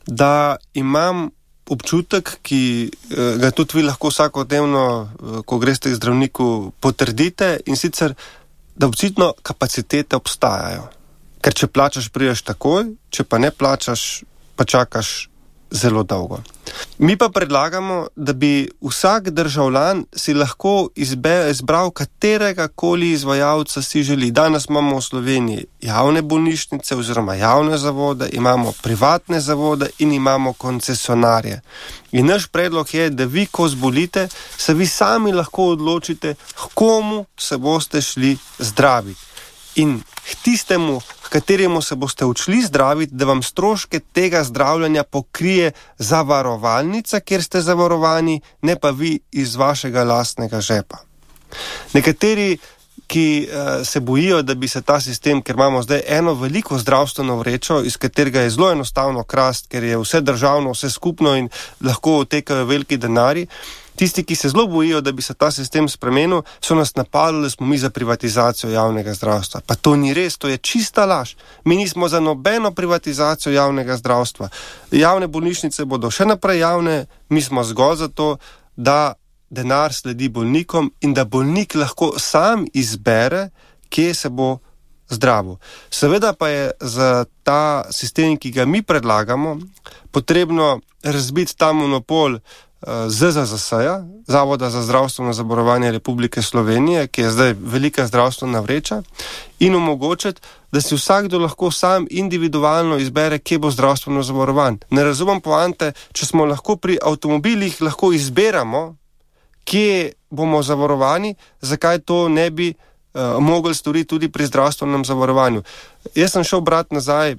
da imam občutek, ki ga tudi vi lahko vsakodnevno, ko greste k zdravniku, potrdite, in sicer, da očitno kapacitete obstajajo. Ker če plačaš, prideš takoj, če pa ne plačaš, pa čakaš zelo dolgo. Mi pa predlagamo, da bi vsak državljan si lahko izbe, izbral katerega koli izvajalca si želi. Danes imamo v Sloveniji javne bolnišnice oziroma javne zavode, imamo privatne zavode in imamo koncesionarje. In naš predlog je, da vi, ko zbolite, se vi sami lahko odločite, komu se boste šli zdraviti. In k tistemu, k kateremu se boste odšli zdraviti, da vam stroške tega zdravljenja pokrije zavarovalnica, kjer ste zavarovani, ne pa vi iz vašega lastnega žepa. Nekateri, ki uh, se bojijo, da bi se ta sistem, ker imamo zdaj eno veliko zdravstveno vrečo, iz katerega je zelo enostavno krast, ker je vse državno, vse skupno in lahko otekajo veliki denari, tisti, ki se zelo bojijo, da bi se ta sistem spremenil, so nas napadali, da smo mi za privatizacijo javnega zdravstva. Pa to ni res, to je čista laž. Mi nismo za nobeno privatizacijo javnega zdravstva. Javne bolnišnice bodo še naprej javne, mi smo zgolj za to, da denar sledi bolnikom in da bolnik lahko sam izbere, kje se bo zdravil. Seveda pa je za ta sistem, ki ga mi predlagamo, potrebno razbiti ta monopol Z Z Z S-ja, Zavoda za zdravstveno zavarovanje Republike Slovenije, ki je zdaj velika zdravstvena vreča, in omogočiti, da si vsakdo lahko sam individualno izbere, kje bo zdravstveno zavarovan. Ne razumem poante, če smo lahko pri avtomobilih, lahko izberamo, kje bomo zavarovani, zakaj to ne bi uh, mogli storiti tudi pri zdravstvenem zavarovanju. Jaz sem šel brati nazaj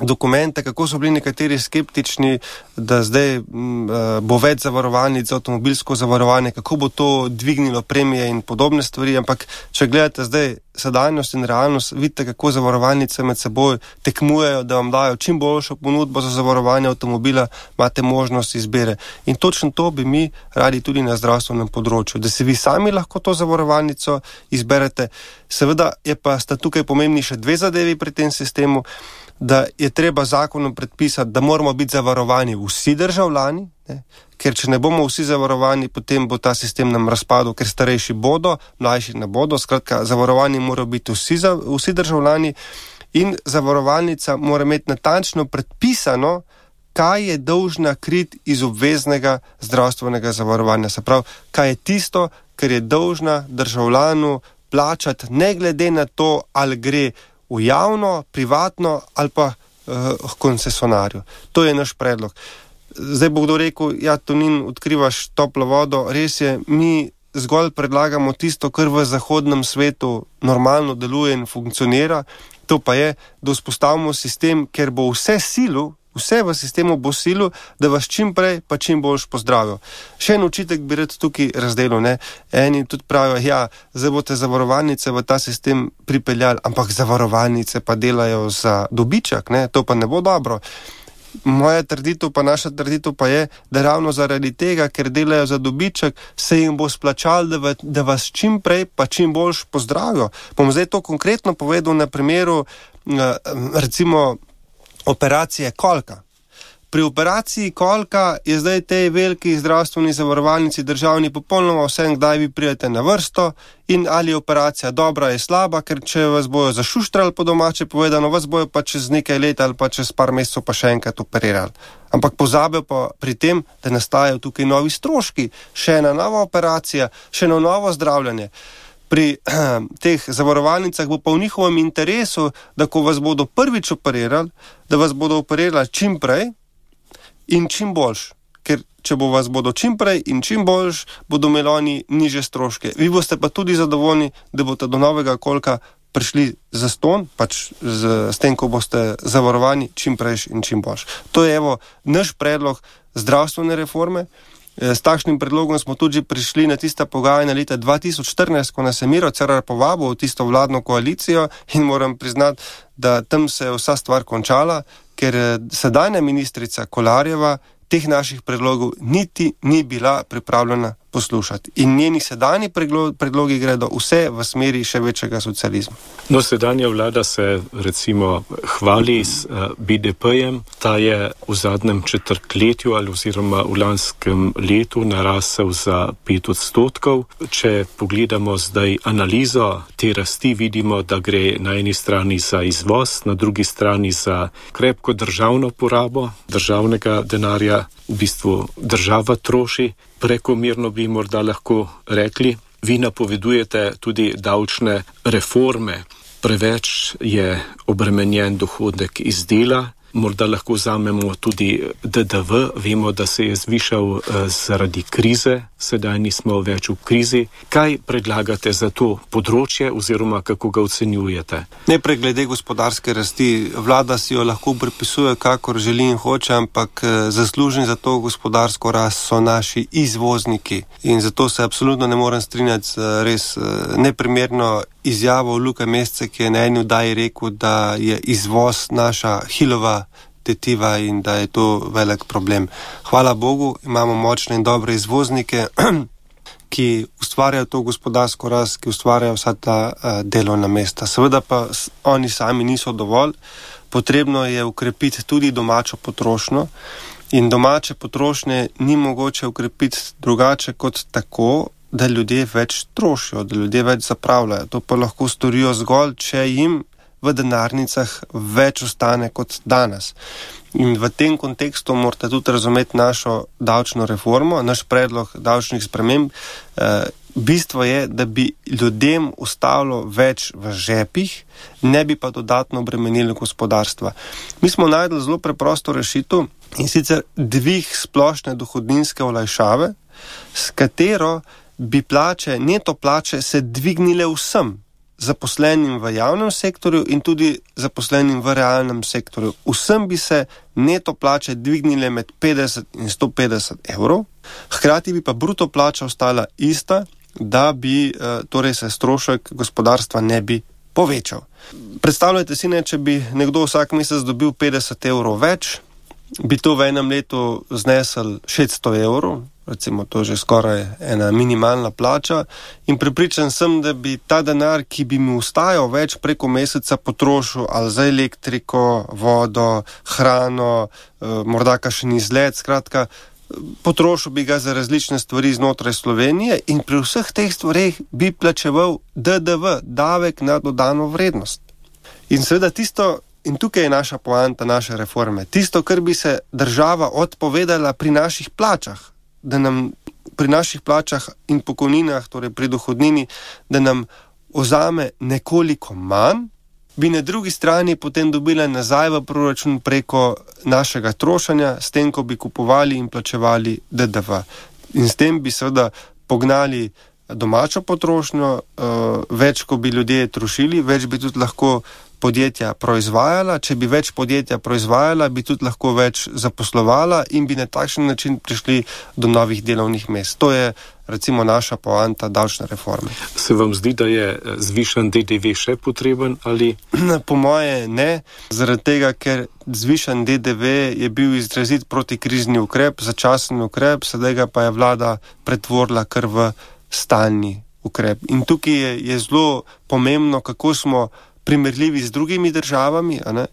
dokumente, kako so bili nekateri skeptični, da zdaj m, bo več zavarovalnic za avtomobilsko zavarovanje, kako bo to dvignilo premije in podobne stvari, ampak če gledate zdaj sedanjost in realnost, vidite, kako zavarovalnice med seboj tekmujejo, da vam dajo čim boljšo ponudbo za zavarovanje avtomobila, imate možnost izbire. In točno to bi mi radi tudi na zdravstvenem področju, da si vi sami lahko to zavarovalnico izberete. Seveda je pa sta tukaj pomembni še dve zadevi pri tem sistemu. da je treba zakonom predpisati, da moramo biti zavarovani vsi državljani, ne? Ker če ne bomo vsi zavarovani, potem bo ta sistem nam razpadel, ker starejši bodo, mlajši ne bodo, skratka, zavarovani morajo biti vsi, vsi državljani in zavarovalnica mora imeti natančno predpisano, kaj je dolžna kriti iz obveznega zdravstvenega zavarovanja. Se pravi, kaj je tisto, kar je dolžna državljanu plačati, ne glede na to, ali gre v javno, privatno ali pa uh, koncesionarju. To je naš predlog. Zdaj bo kdo rekel, ja, Tonin, odkrivaš toplo vodo. Res je, mi zgolj predlagamo tisto, kar v zahodnem svetu normalno deluje in funkcionira. To pa je, da vzpostavimo sistem, ker bo vse silu, vse v sistemu bo silu, da vas čim prej pa čim boljš pozdravijo. Še en očitek bi rad tukaj razdelil, ne. Eni tudi pravijo, ja, zdaj boste zavarovalnice v ta sistem pripeljali, ampak zavarovalnice pa delajo za dobiček, ne, to pa ne bo dobro. Moja trditev pa naša trditev pa je, da ravno zaradi tega, ker delajo za dobiček, se jim bo splačal, da, v, da vas čim prej pa čim boljš pozdravijo. Bom zdaj to konkretno povedal na primeru recimo operacije kolka. Pri operaciji kolka je zdaj tej veliki zdravstveni zavarovalnici državni popolnoma vsem, kdaj vi pridete na vrsto in ali je operacija dobra ali slaba, ker če vas bojo zašuštrali po domače povedano, vas bojo pa čez nekaj let ali pa čez par mesecev pa še enkrat operirali. Ampak pozabijo pa pri tem, da nastajajo tukaj novi stroški, še ena nova operacija, še eno novo zdravljanje. Pri teh zavarovalnicah bo pa v njihovem interesu, da ko vas bodo prvič operirali, da vas bodo operirali čim prej in čim boljš. Ker če bo vas bodo čim prej in čim boljš, bodo imeli oni niže stroške. Vi boste pa tudi zadovoljni, da boste do novega kolka prišli za ston, pač z, s tem, ko boste zavarovani čim prej in čim boljš. To je evo naš predlog zdravstvene reforme. S takšnim predlogom smo tudi prišli na tista pogajanja leta dva tisoč štirinajst, ko nas je Miro Cerar povabil v tisto vladno koalicijo in moram priznati, da tam se je vsa stvar končala, ker sedanja ministrica Kolarjeva teh naših predlogov niti ni bila pripravljena poslušati. In njeni sedanji predlogi gredo vse v smeri še večjega socializma. No, sedanja vlada se recimo hvali s uh, B D P-jem. Ta je v zadnjem četrtletju ali oziroma v lanskem letu narasel za pet odstotkov. Če pogledamo zdaj analizo te rasti, vidimo, da gre na eni strani za izvoz, na drugi strani za krepko državno porabo državnega denarja. V bistvu država troši, prekomerno bi morda lahko rekli. Vi napovedujete tudi davčne reforme. Preveč je obremenjen dohodek iz dela. Morda lahko vzamemo tudi D D V. Vemo, da se je zvišal eh, zaradi krize. Sedaj nismo več v krizi. Kaj predlagate za to področje oziroma kako ga ocenjujete? Najprej glede gospodarske rasti. Vlada si jo lahko pripisuje, kakor želi in hoče, ampak zaslužni za to gospodarsko rast so naši izvozniki. In zato se absolutno ne morem strinjati z res neprimerno izjavo Luke Mesce, ki je na eni oddaji rekel, da je izvoz naša hilova tetiva in da je to velik problem. Hvala Bogu, imamo močne in dobre izvoznike, ki ustvarjajo to gospodarsko rast, ki ustvarjajo vsa ta uh, delovna mesta. Seveda pa oni sami niso dovolj. Potrebno je ukrepiti tudi domačo potrošnjo in domače potrošnje ni mogoče ukrepiti drugače kot tako, da ljudje več trošijo, da ljudje več zapravljajo. To pa lahko storijo zgolj, če jim v denarnicah več ostane kot danes. In v tem kontekstu morate tudi razumeti našo davčno reformo, naš predlog davčnih sprememb. E, bistvo je, da bi ljudem ostalo več v žepih, ne bi pa dodatno obremenili gospodarstva. Mi smo najdli zelo preprosto rešitev in sicer dvig splošne dohodninske olajšave, s katero bi plače, neto plače se dvignile vsem, zaposlenim v javnem sektorju in tudi zaposlenim v realnem sektorju. Vsem bi se neto plače dvignile med petdeset in sto petdeset evrov, hkrati bi pa bruto plača ostala ista, da bi torej se strošek gospodarstva ne bi povečal. Predstavljajte si, ne, če bi nekdo vsak mesec dobil petdeset evrov več, bi to v enem letu znesel šeststo evrov. recimo to že skoraj ena minimalna plača, in prepričan sem, da bi ta denar, ki bi mi ustajal več preko meseca, potrošil ali za elektriko, vodo, hrano, morda kakšen izlet, skratka, potrošil bi ga za različne stvari znotraj Slovenije in pri vseh teh stvareh bi plačeval D D V, davek na dodano vrednost. In seveda tisto, in tukaj je naša poanta, naše reforme, tisto, kar bi se država odpovedala pri naših plačah, da nam pri naših plačah in pokojninah, torej pri dohodnini, da nam vzame nekoliko manj, bi na drugi strani potem dobila nazaj v proračun preko našega trošanja, s tem, ko bi kupovali in plačevali D D V. In s tem bi seveda pognali domačo potrošnjo, več, ko bi ljudje trošili, več bi tudi lahko podjetja proizvajala, če bi več podjetja proizvajala, bi tudi lahko več zaposlovala in bi na takšen način prišli do novih delovnih mest. To je recimo naša poanta davčne reforme. Se vam zdi, da je zvišan D D V še potreben ali? Po moje ne, zaradi tega, ker zvišan D D V je bil izrazit protikrizni ukrep, začasen ukrep, sedaj ga pa je vlada pretvorila kar v stalni ukrep. In tukaj je, je zelo pomembno, kako smo primerljivi z drugimi državami, a ne?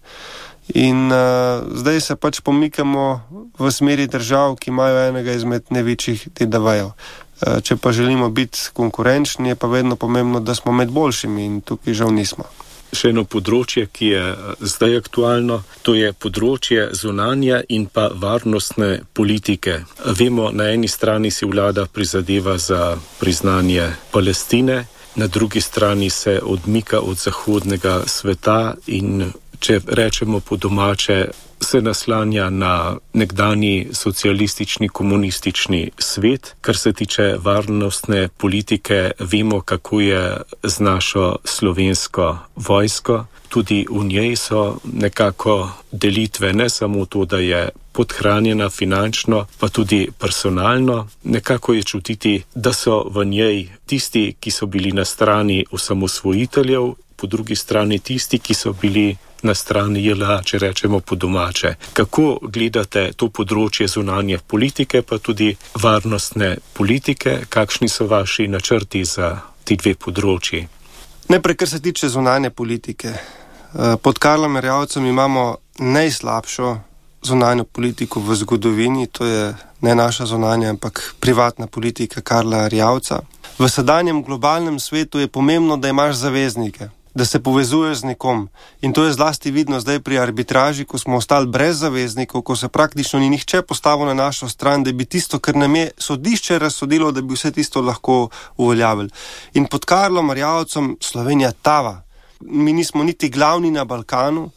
In uh, zdaj se pač pomikamo v smeri držav, ki imajo enega izmed največjih D D V-jev. Uh, če pa želimo biti konkurenčni, je pa vedno pomembno, da smo med boljšimi in tukaj žal nismo. Še eno področje, ki je zdaj aktualno, to je področje zunanje in pa varnostne politike. Vemo, na eni strani si vlada prizadeva za priznanje Palestine, na drugi strani se odmika od zahodnega sveta in, če rečemo po domače, se naslanja na nekdanji socialistični komunistični svet. Kar se tiče varnostne politike, vemo, kako je z našo slovensko vojsko. Tudi v njej so nekako delitve, ne samo to, da je podhranjena finančno, pa tudi personalno. Nekako je čutiti, da so v njej tisti, ki so bili na strani osamosvojiteljev, po drugi strani tisti, ki so bili na strani J L A, če rečemo po domače. Kako gledate to področje zunanje politike, pa tudi varnostne politike? Kakšni so vaši načrti za ti dve področji? Najprej, kar se tiče zunanje politike. Pod Karlom Erjavcem imamo najslabšo zunanjo politiko v zgodovini, to je ne naša zunanja, ampak privatna politika Karla Erjavca. V sedanjem globalnem svetu je pomembno, da imaš zaveznike, da se povezuješ z nekom. In to je zlasti vidno zdaj pri arbitraži, ko smo ostali brez zaveznikov, ko se praktično ni nihče postavil na našo stran, da bi tisto, kar nam je sodišče razsodilo, da bi vse tisto lahko uveljavili. In pod Karlom Erjavcem Slovenija tava. Mi nismo niti glavni na Balkanu,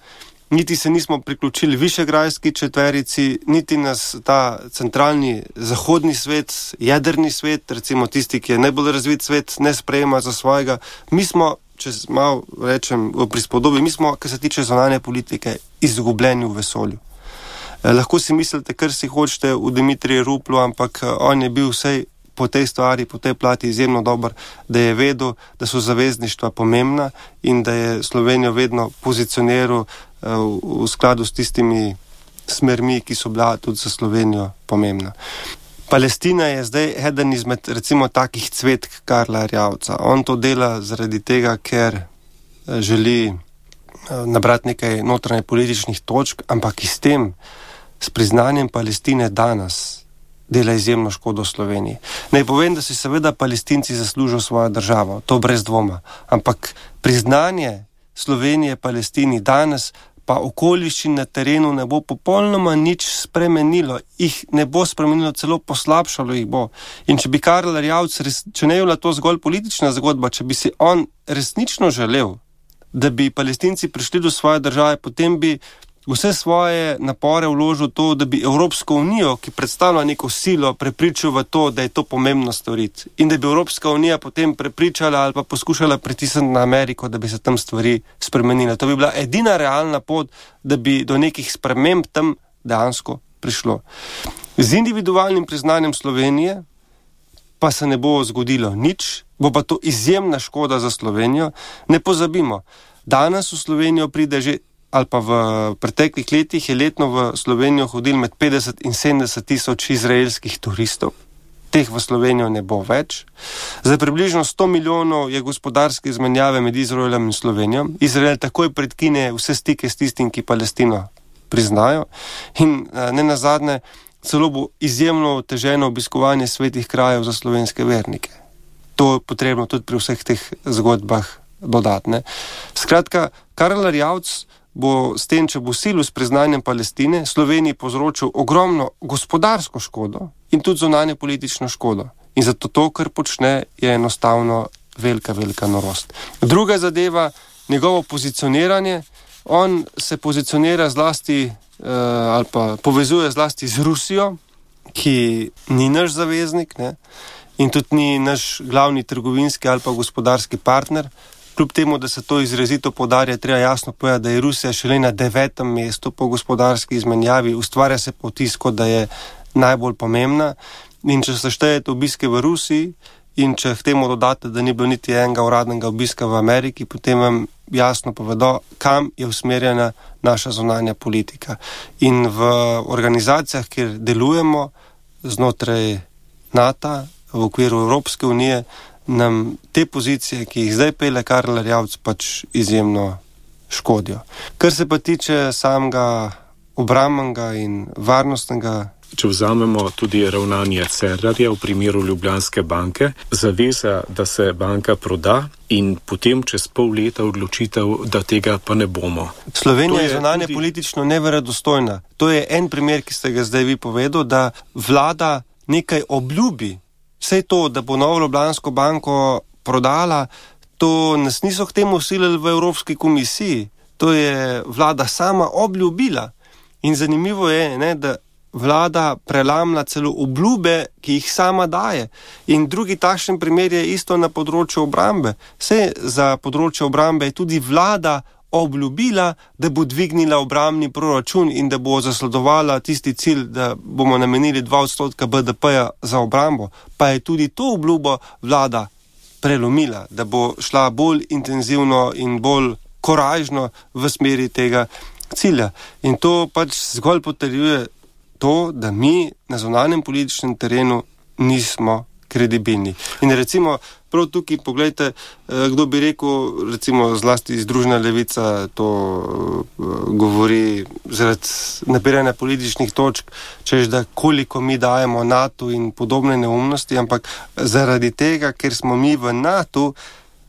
niti se nismo priključili Višegrajski četverici, niti nas ta centralni zahodni svet, jedrni svet, recimo tisti, ki je najbolj razvit svet, ne sprejema za svojega. Mi smo, če malo rečem v prispodobi, mi smo, kar se tiče zunanje politike, izgubljeni v vesolju. Eh, lahko si mislite, kar si hočete v Dimitriju Ruplu, ampak on je bil vsej po tej stvari, po tej plati izjemno dober, da je vedel, da so zavezništva pomembna in da je Slovenijo vedno pozicioniral eh, v, v skladu s tistimi smermi, ki so bila tudi za Slovenijo pomembna. Palestina je zdaj eden izmed recimo takih cvetk Karla Erjavca. On to dela zaradi tega, ker želi nabrati nekaj notranje političnih točk, ampak s tem, s priznanjem Palestine danes, dela izjemno škodo Sloveniji. Naj povem, da si seveda Palestinci zaslužijo svojo državo, to brez dvoma, ampak priznanje Slovenije Palestini danes pa okoliščin na terenu ne bo popolnoma nič spremenilo, jih ne bo spremenilo, celo poslabšalo jih bo. In če bi Karl Erjavec, če ne je bila to zgolj politična zgodba, če bi si on resnično želel, da bi Palestinci prišli do svoje države, potem bi vse svoje napore vložil to, da bi Evropsko unijo, ki predstavlja neko silo, prepričal v to, da je to pomembno storiti. In da bi Evropska unija potem prepričala ali pa poskušala pritisniti na Ameriko, da bi se tam stvari spremenile. To bi bila edina realna pot, da bi do nekih sprememb tam dejansko prišlo. Z individualnim priznanjem Slovenije pa se ne bo zgodilo nič, bo pa to izjemna škoda za Slovenijo. Ne pozabimo, danes v Slovenijo pride že ali pa v preteklih letih je letno v Slovenijo hodil med petdeset in sedemdeset tisoč izraelskih turistov. teh v Slovenijo ne bo več. Za približno sto milijonov je gospodarske izmenjave med Izraelom in Slovenijo. Izrael takoj predkine vse stike s tistim, ki Palestino priznajo. In ne nazadnje, celo bo izjemno oteženo obiskovanje svetih krajev za slovenske vernike. To je potrebno tudi pri vseh teh zgodbah dodatne. Skratka, Karl Erjavec bo s tem, če bo silil s priznanjem Palestine, Sloveniji povzročil ogromno gospodarsko škodo in tudi zunanje politično škodo. In zato to, kar počne, je enostavno velika, velika norost. Druga zadeva, njegovo pozicioniranje. On se pozicionira zlasti uh, ali pa povezuje zlasti z Rusijo, ki ni naš zaveznik, ne? In tudi ni naš glavni trgovinski ali pa gospodarski partner. Kljub temu, da se to izrazito poudarja, treba jasno povedati, da je Rusija šele na devetem mestu po gospodarski izmenjavi, ustvarja se potis, kot da je najbolj pomembna. In če se štejete obiske v Rusiji in če k temu dodate, da ni bilo niti enega uradnega obiska v Ameriki, potem vam jasno povedo, kam je usmerjena naša zunanja politika. In v organizacijah, kjer delujemo znotraj NATO, v okviru Evropske unije, nam te pozicije, ki jih zdaj pele Karl Erjavec, pač izjemno škodijo. Kar se pa tiče samega obrambnega in varnostnega. Če vzamemo tudi ravnanje Cerarja v primeru Ljubljanske banke, zaveza, da se banka proda in potem čez pol leta odločitev, da tega pa ne bomo. Slovenija je zunanje tudi politično neverodostojna. To je en primer, ki ste ga zdaj vi povedal, da vlada nekaj obljubi. Vse to, da bo Novo Ljubljansko banko prodala, to nas niso k temu silili v Evropski komisiji. To je vlada sama obljubila. In zanimivo je, ne, da vlada prelamna celo obljube, ki jih sama daje. In drugi takšen primer je isto na področju obrambe. Vse za področje obrambe je tudi vlada obljubila, da bo dvignila obrambni proračun in da bo zasledovala tisti cilj, da bomo namenili dva odstotka B D P-ja za obrambo. Pa je tudi to obljubo vlada prelomila, da bo šla bolj intenzivno in bolj koražno v smeri tega cilja. In to pač zgolj potrjuje to, da mi na zunanjem političnem terenu nismo kredibilni. In recimo, prav tukaj pogledajte, kdo bi rekel, recimo zlasti Združena levica to govori zaradi nabiranja političnih točk, češ da koliko mi dajemo NATO in podobne neumnosti, ampak zaradi tega, ker smo mi v NATO,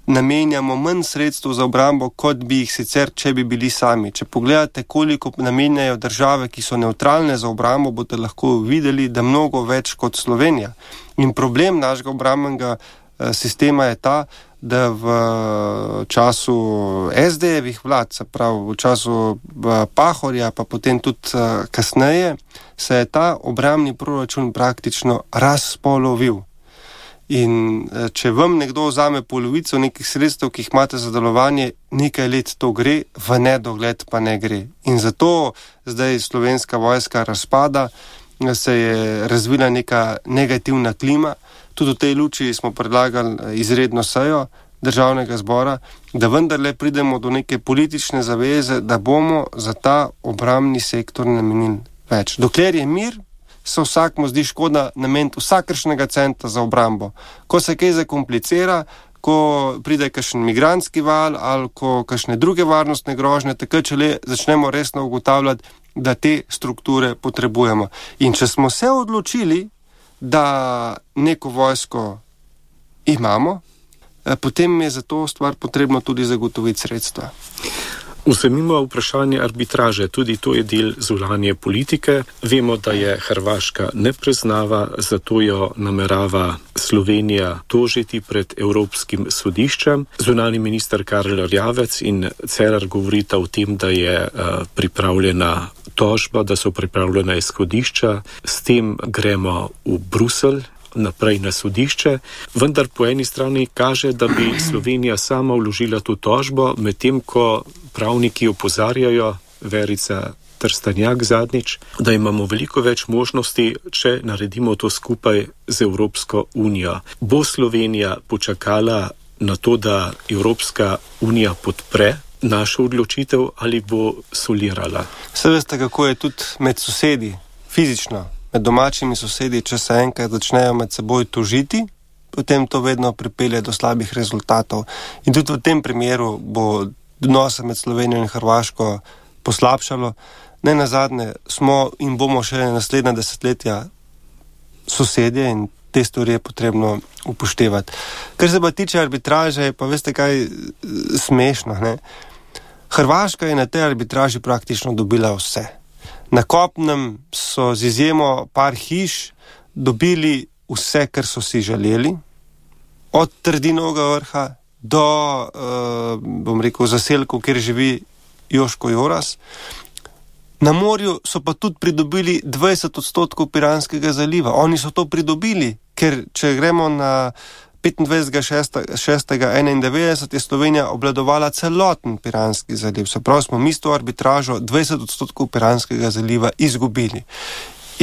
namenjamo manj sredstev za obrambo, kot bi jih sicer, če bi bili sami. Če pogledate, koliko namenjajo države, ki so nevtralne za obrambo, boste lahko videli, da mnogo več kot Slovenija. In problem našega obrambnega sistema je ta, da v času es de jevih vlad, se pravi v času Pahorja, pa potem tudi kasneje, se je ta obrambni proračun praktično razpolovil. In če vam nekdo vzame polovico nekih sredstev, ki jih imate za delovanje, nekaj let to gre, v nedogled pa ne gre. In zato zdaj slovenska vojska razpada, se je razvila neka negativna klima. Tudi v tej luči smo predlagali izredno sejo Državnega zbora, da vendarle pridemo do neke politične zaveze, da bomo za ta obrambni sektor namenili več. Dokler je mir, se vsakmu zdi škoda nameniti vsakršnega centa za obrambo. Ko se kaj zakomplicira, ko pride kakšen migrantski val ali ko kakšne druge varnostne grožnje, takrat če le začnemo resno ugotavljati, da te strukture potrebujemo. In če smo se odločili, da neko vojsko imamo, potem je za to stvar potrebno tudi zagotoviti sredstva. Vzemimo vprašanje arbitraže, tudi to je del zunanje politike. Vemo, da je Hrvaška ne priznava, zato jo namerava Slovenija tožiti pred Evropskim sodiščem. Zunanji minister Karl Erjavec in Cerar govorita o tem, da je uh, pripravljena tožba, da so pripravljena izhodišča. S tem gremo v Bruselj, naprej na sodišče, vendar po eni strani kaže, da bi Slovenija sama vložila to tožbo, medtem ko pravniki opozarjajo, Verica Trstenjak zadnjič, da imamo veliko več možnosti, če naredimo to skupaj z Evropsko unijo. Bo Slovenija počakala na to, da Evropska unija podpre našo odločitev ali bo solirala? Se veste, kako je tudi med sosedi, fizično. med domačimi sosedi, če se enkrat začnejo med seboj tožiti, potem to vedno pripelje do slabih rezultatov. In tudi v tem primeru bo odnose med Slovenijo in Hrvaško poslabšalo. Ne nazadnje smo in bomo še naslednja desetletja sosedje in te stvari je potrebno upoštevati. Kar se pa tiče arbitraže, pa veste kaj smešno, ne? Hrvaška je na tej arbitraži praktično dobila vse. Na kopnem so z izjemo par hiš dobili vse, kar so si želeli, od Trdinovega vrha do, uh, bom rekel, zaselkov, kjer živi Joško Joras. Na morju so pa tudi pridobili dvajset odstotkov Piranskega zaliva. Oni so to pridobili, ker če gremo na petindvajsetega šestega enaindevetdeset je Slovenija obvladovala celoten Piranski zaliv. Se pravi, smo mi s to arbitražo dvajset odstotkov Piranskega zaliva izgubili.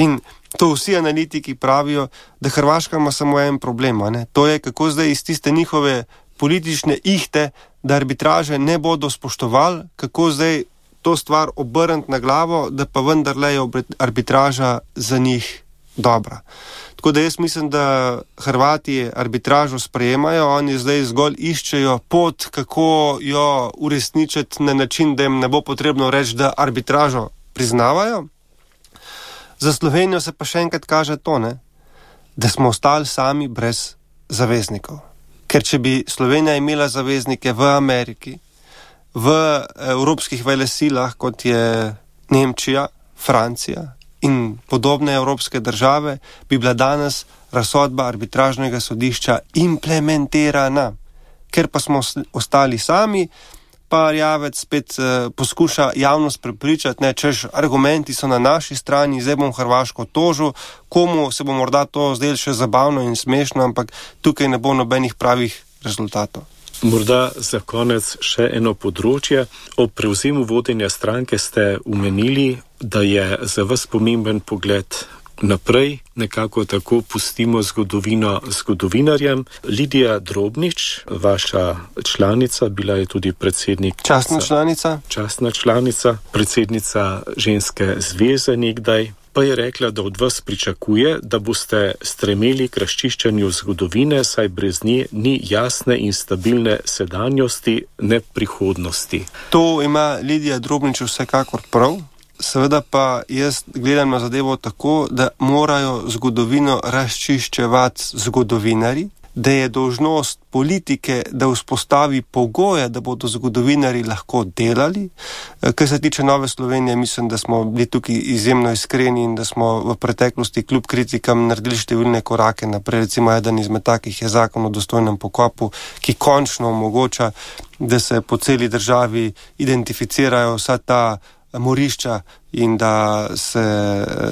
In to vsi analitiki pravijo, da Hrvaška ima samo en problem, ne? To je, kako zdaj iz tiste njihove politične ihte, da arbitraže ne bodo spoštovali, kako zdaj to stvar obrniti na glavo, da pa vendarle je arbitraža za njih dobra. Tako da jaz mislim, da Hrvati arbitražo sprejemajo, oni zdaj zgolj iščejo pot, kako jo uresničiti na način, da jim ne bo potrebno reči, da arbitražo priznavajo. Za Slovenijo se pa še enkrat kaže to, ne? Da smo ostali sami brez zaveznikov. Ker če bi Slovenija imela zaveznike v Ameriki, v evropskih velesilah, kot je Nemčija, Francija in podobne evropske države, bi bila danes razsodba arbitražnega sodišča implementirana. Ker pa smo ostali sami, pa Erjavec spet uh, poskuša javnost prepričati, ne, češ argumenti so na naši strani, zdaj bom Hrvaško tožil, komu se bo morda to zdelo še zabavno in smešno, ampak tukaj ne bo nobenih pravih rezultatov. Morda za konec še eno področje. Ob prevzemu vodenja stranke ste omenili, da je za vas pomemben pogled naprej, nekako tako pustimo zgodovino zgodovinarjem. Lidija Drobnič, vaša članica, bila je tudi predsednik... Častna članica. Častna članica, predsednica Ženske zveze nekdaj, pa je rekla, da od vas pričakuje, da boste stremeli k razčiščanju zgodovine, saj brez nje ni jasne in stabilne sedanjosti, ne prihodnosti. To ima Lidija Drobnič vsekakor prav. Seveda pa jaz gledam na zadevo tako, da morajo zgodovino razčiščevati zgodovinari, da je dolžnost politike, da vzpostavi pogoje, da bodo zgodovinari lahko delali. Kar se tiče Nove Slovenije, mislim, da smo bili tukaj izjemno iskreni in da smo v preteklosti kljub kritikam naredili številne korake naprej. Recimo eden izmed takih je zakon o dostojnem pokopu, ki končno omogoča, da se po celi državi identificirajo vsa ta morišča in da se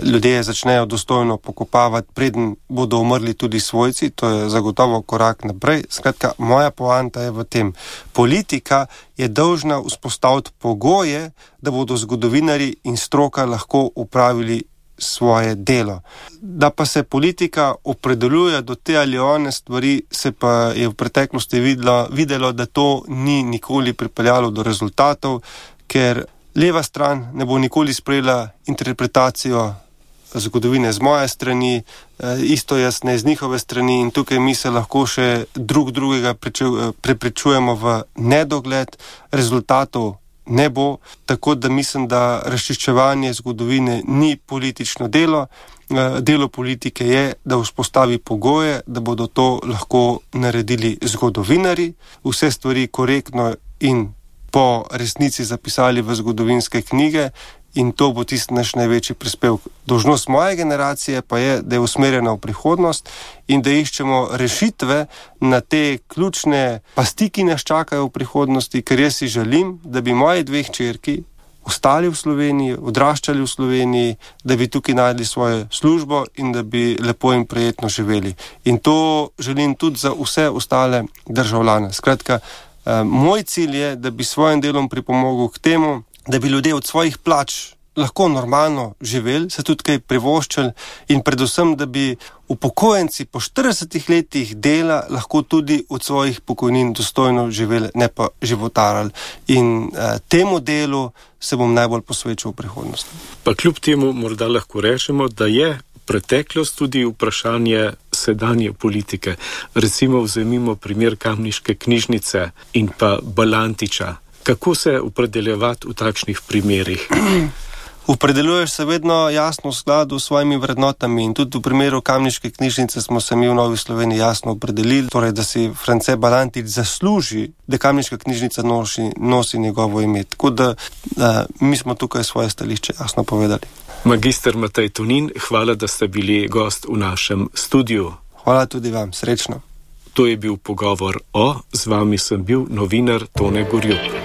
ljudje začnejo dostojno pokopavati, preden bodo umrli tudi svojci. To je zagotovo korak naprej. Skratka, moja poanta je v tem. Politika je dolžna vzpostaviti pogoje, da bodo zgodovinari in stroka lahko upravili svoje delo. Da pa se politika opredeljuje do te ali one stvari, se pa je v preteklosti videlo, videlo, da to ni nikoli pripeljalo do rezultatov, ker leva stran ne bo nikoli sprejela interpretacijo zgodovine z moje strani, isto jaz ne z njihove strani in tukaj mi se lahko še drug drugega preprečujemo v nedogled, rezultatov ne bo, tako da mislim, da razčiščevanje zgodovine ni politično delo. Delo politike je, da vzpostavi pogoje, da bodo to lahko naredili zgodovinari, vse stvari korektno in po resnici zapisali v zgodovinske knjige in to bo tisti naš največji prispevek. Dolžnost moje generacije pa je, da je usmerjena v prihodnost in da iščemo rešitve na te ključne pasti, ki nas čakajo v prihodnosti, ker jaz si želim, da bi moji dve hčerki ostali v Sloveniji, odraščali v Sloveniji, da bi tukaj najdli svojo službo in da bi lepo in prijetno živeli. In to želim tudi za vse ostale državljane. Skratka, moj cilj je, da bi svojim delom pripomogel k temu, da bi ljudje od svojih plač lahko normalno živeli, se tudi kaj privoščili in predvsem, da bi upokojenci po štiridesetih letih dela lahko tudi od svojih pokojnin dostojno živeli, ne pa životarali. In eh, temu delu se bom najbolj posvečal v prihodnosti. Pa kljub temu morda lahko rečemo, da je preteklost, tudi vprašanje sedanje politike. Recimo vzemimo primer Kamniške knjižnice in pa Balantiča. Kako se opredeljevati v takšnih primerih? Opredeljuješ se vedno jasno v skladu s svojimi vrednotami in tudi v primeru Kamniške knjižnice smo se mi v Novi Sloveniji jasno opredelili, torej da si France Balantič zasluži, da Kamniška knjižnica nosi, nosi njegovo ime. Tako da, da mi smo tukaj svoje stališče jasno povedali. Magister Matej Tonin, hvala, da ste bili gost v našem studiu. Hvala tudi vam, srečno. To je bil pogovor o, z vami sem bil novinar Tone Gorjup.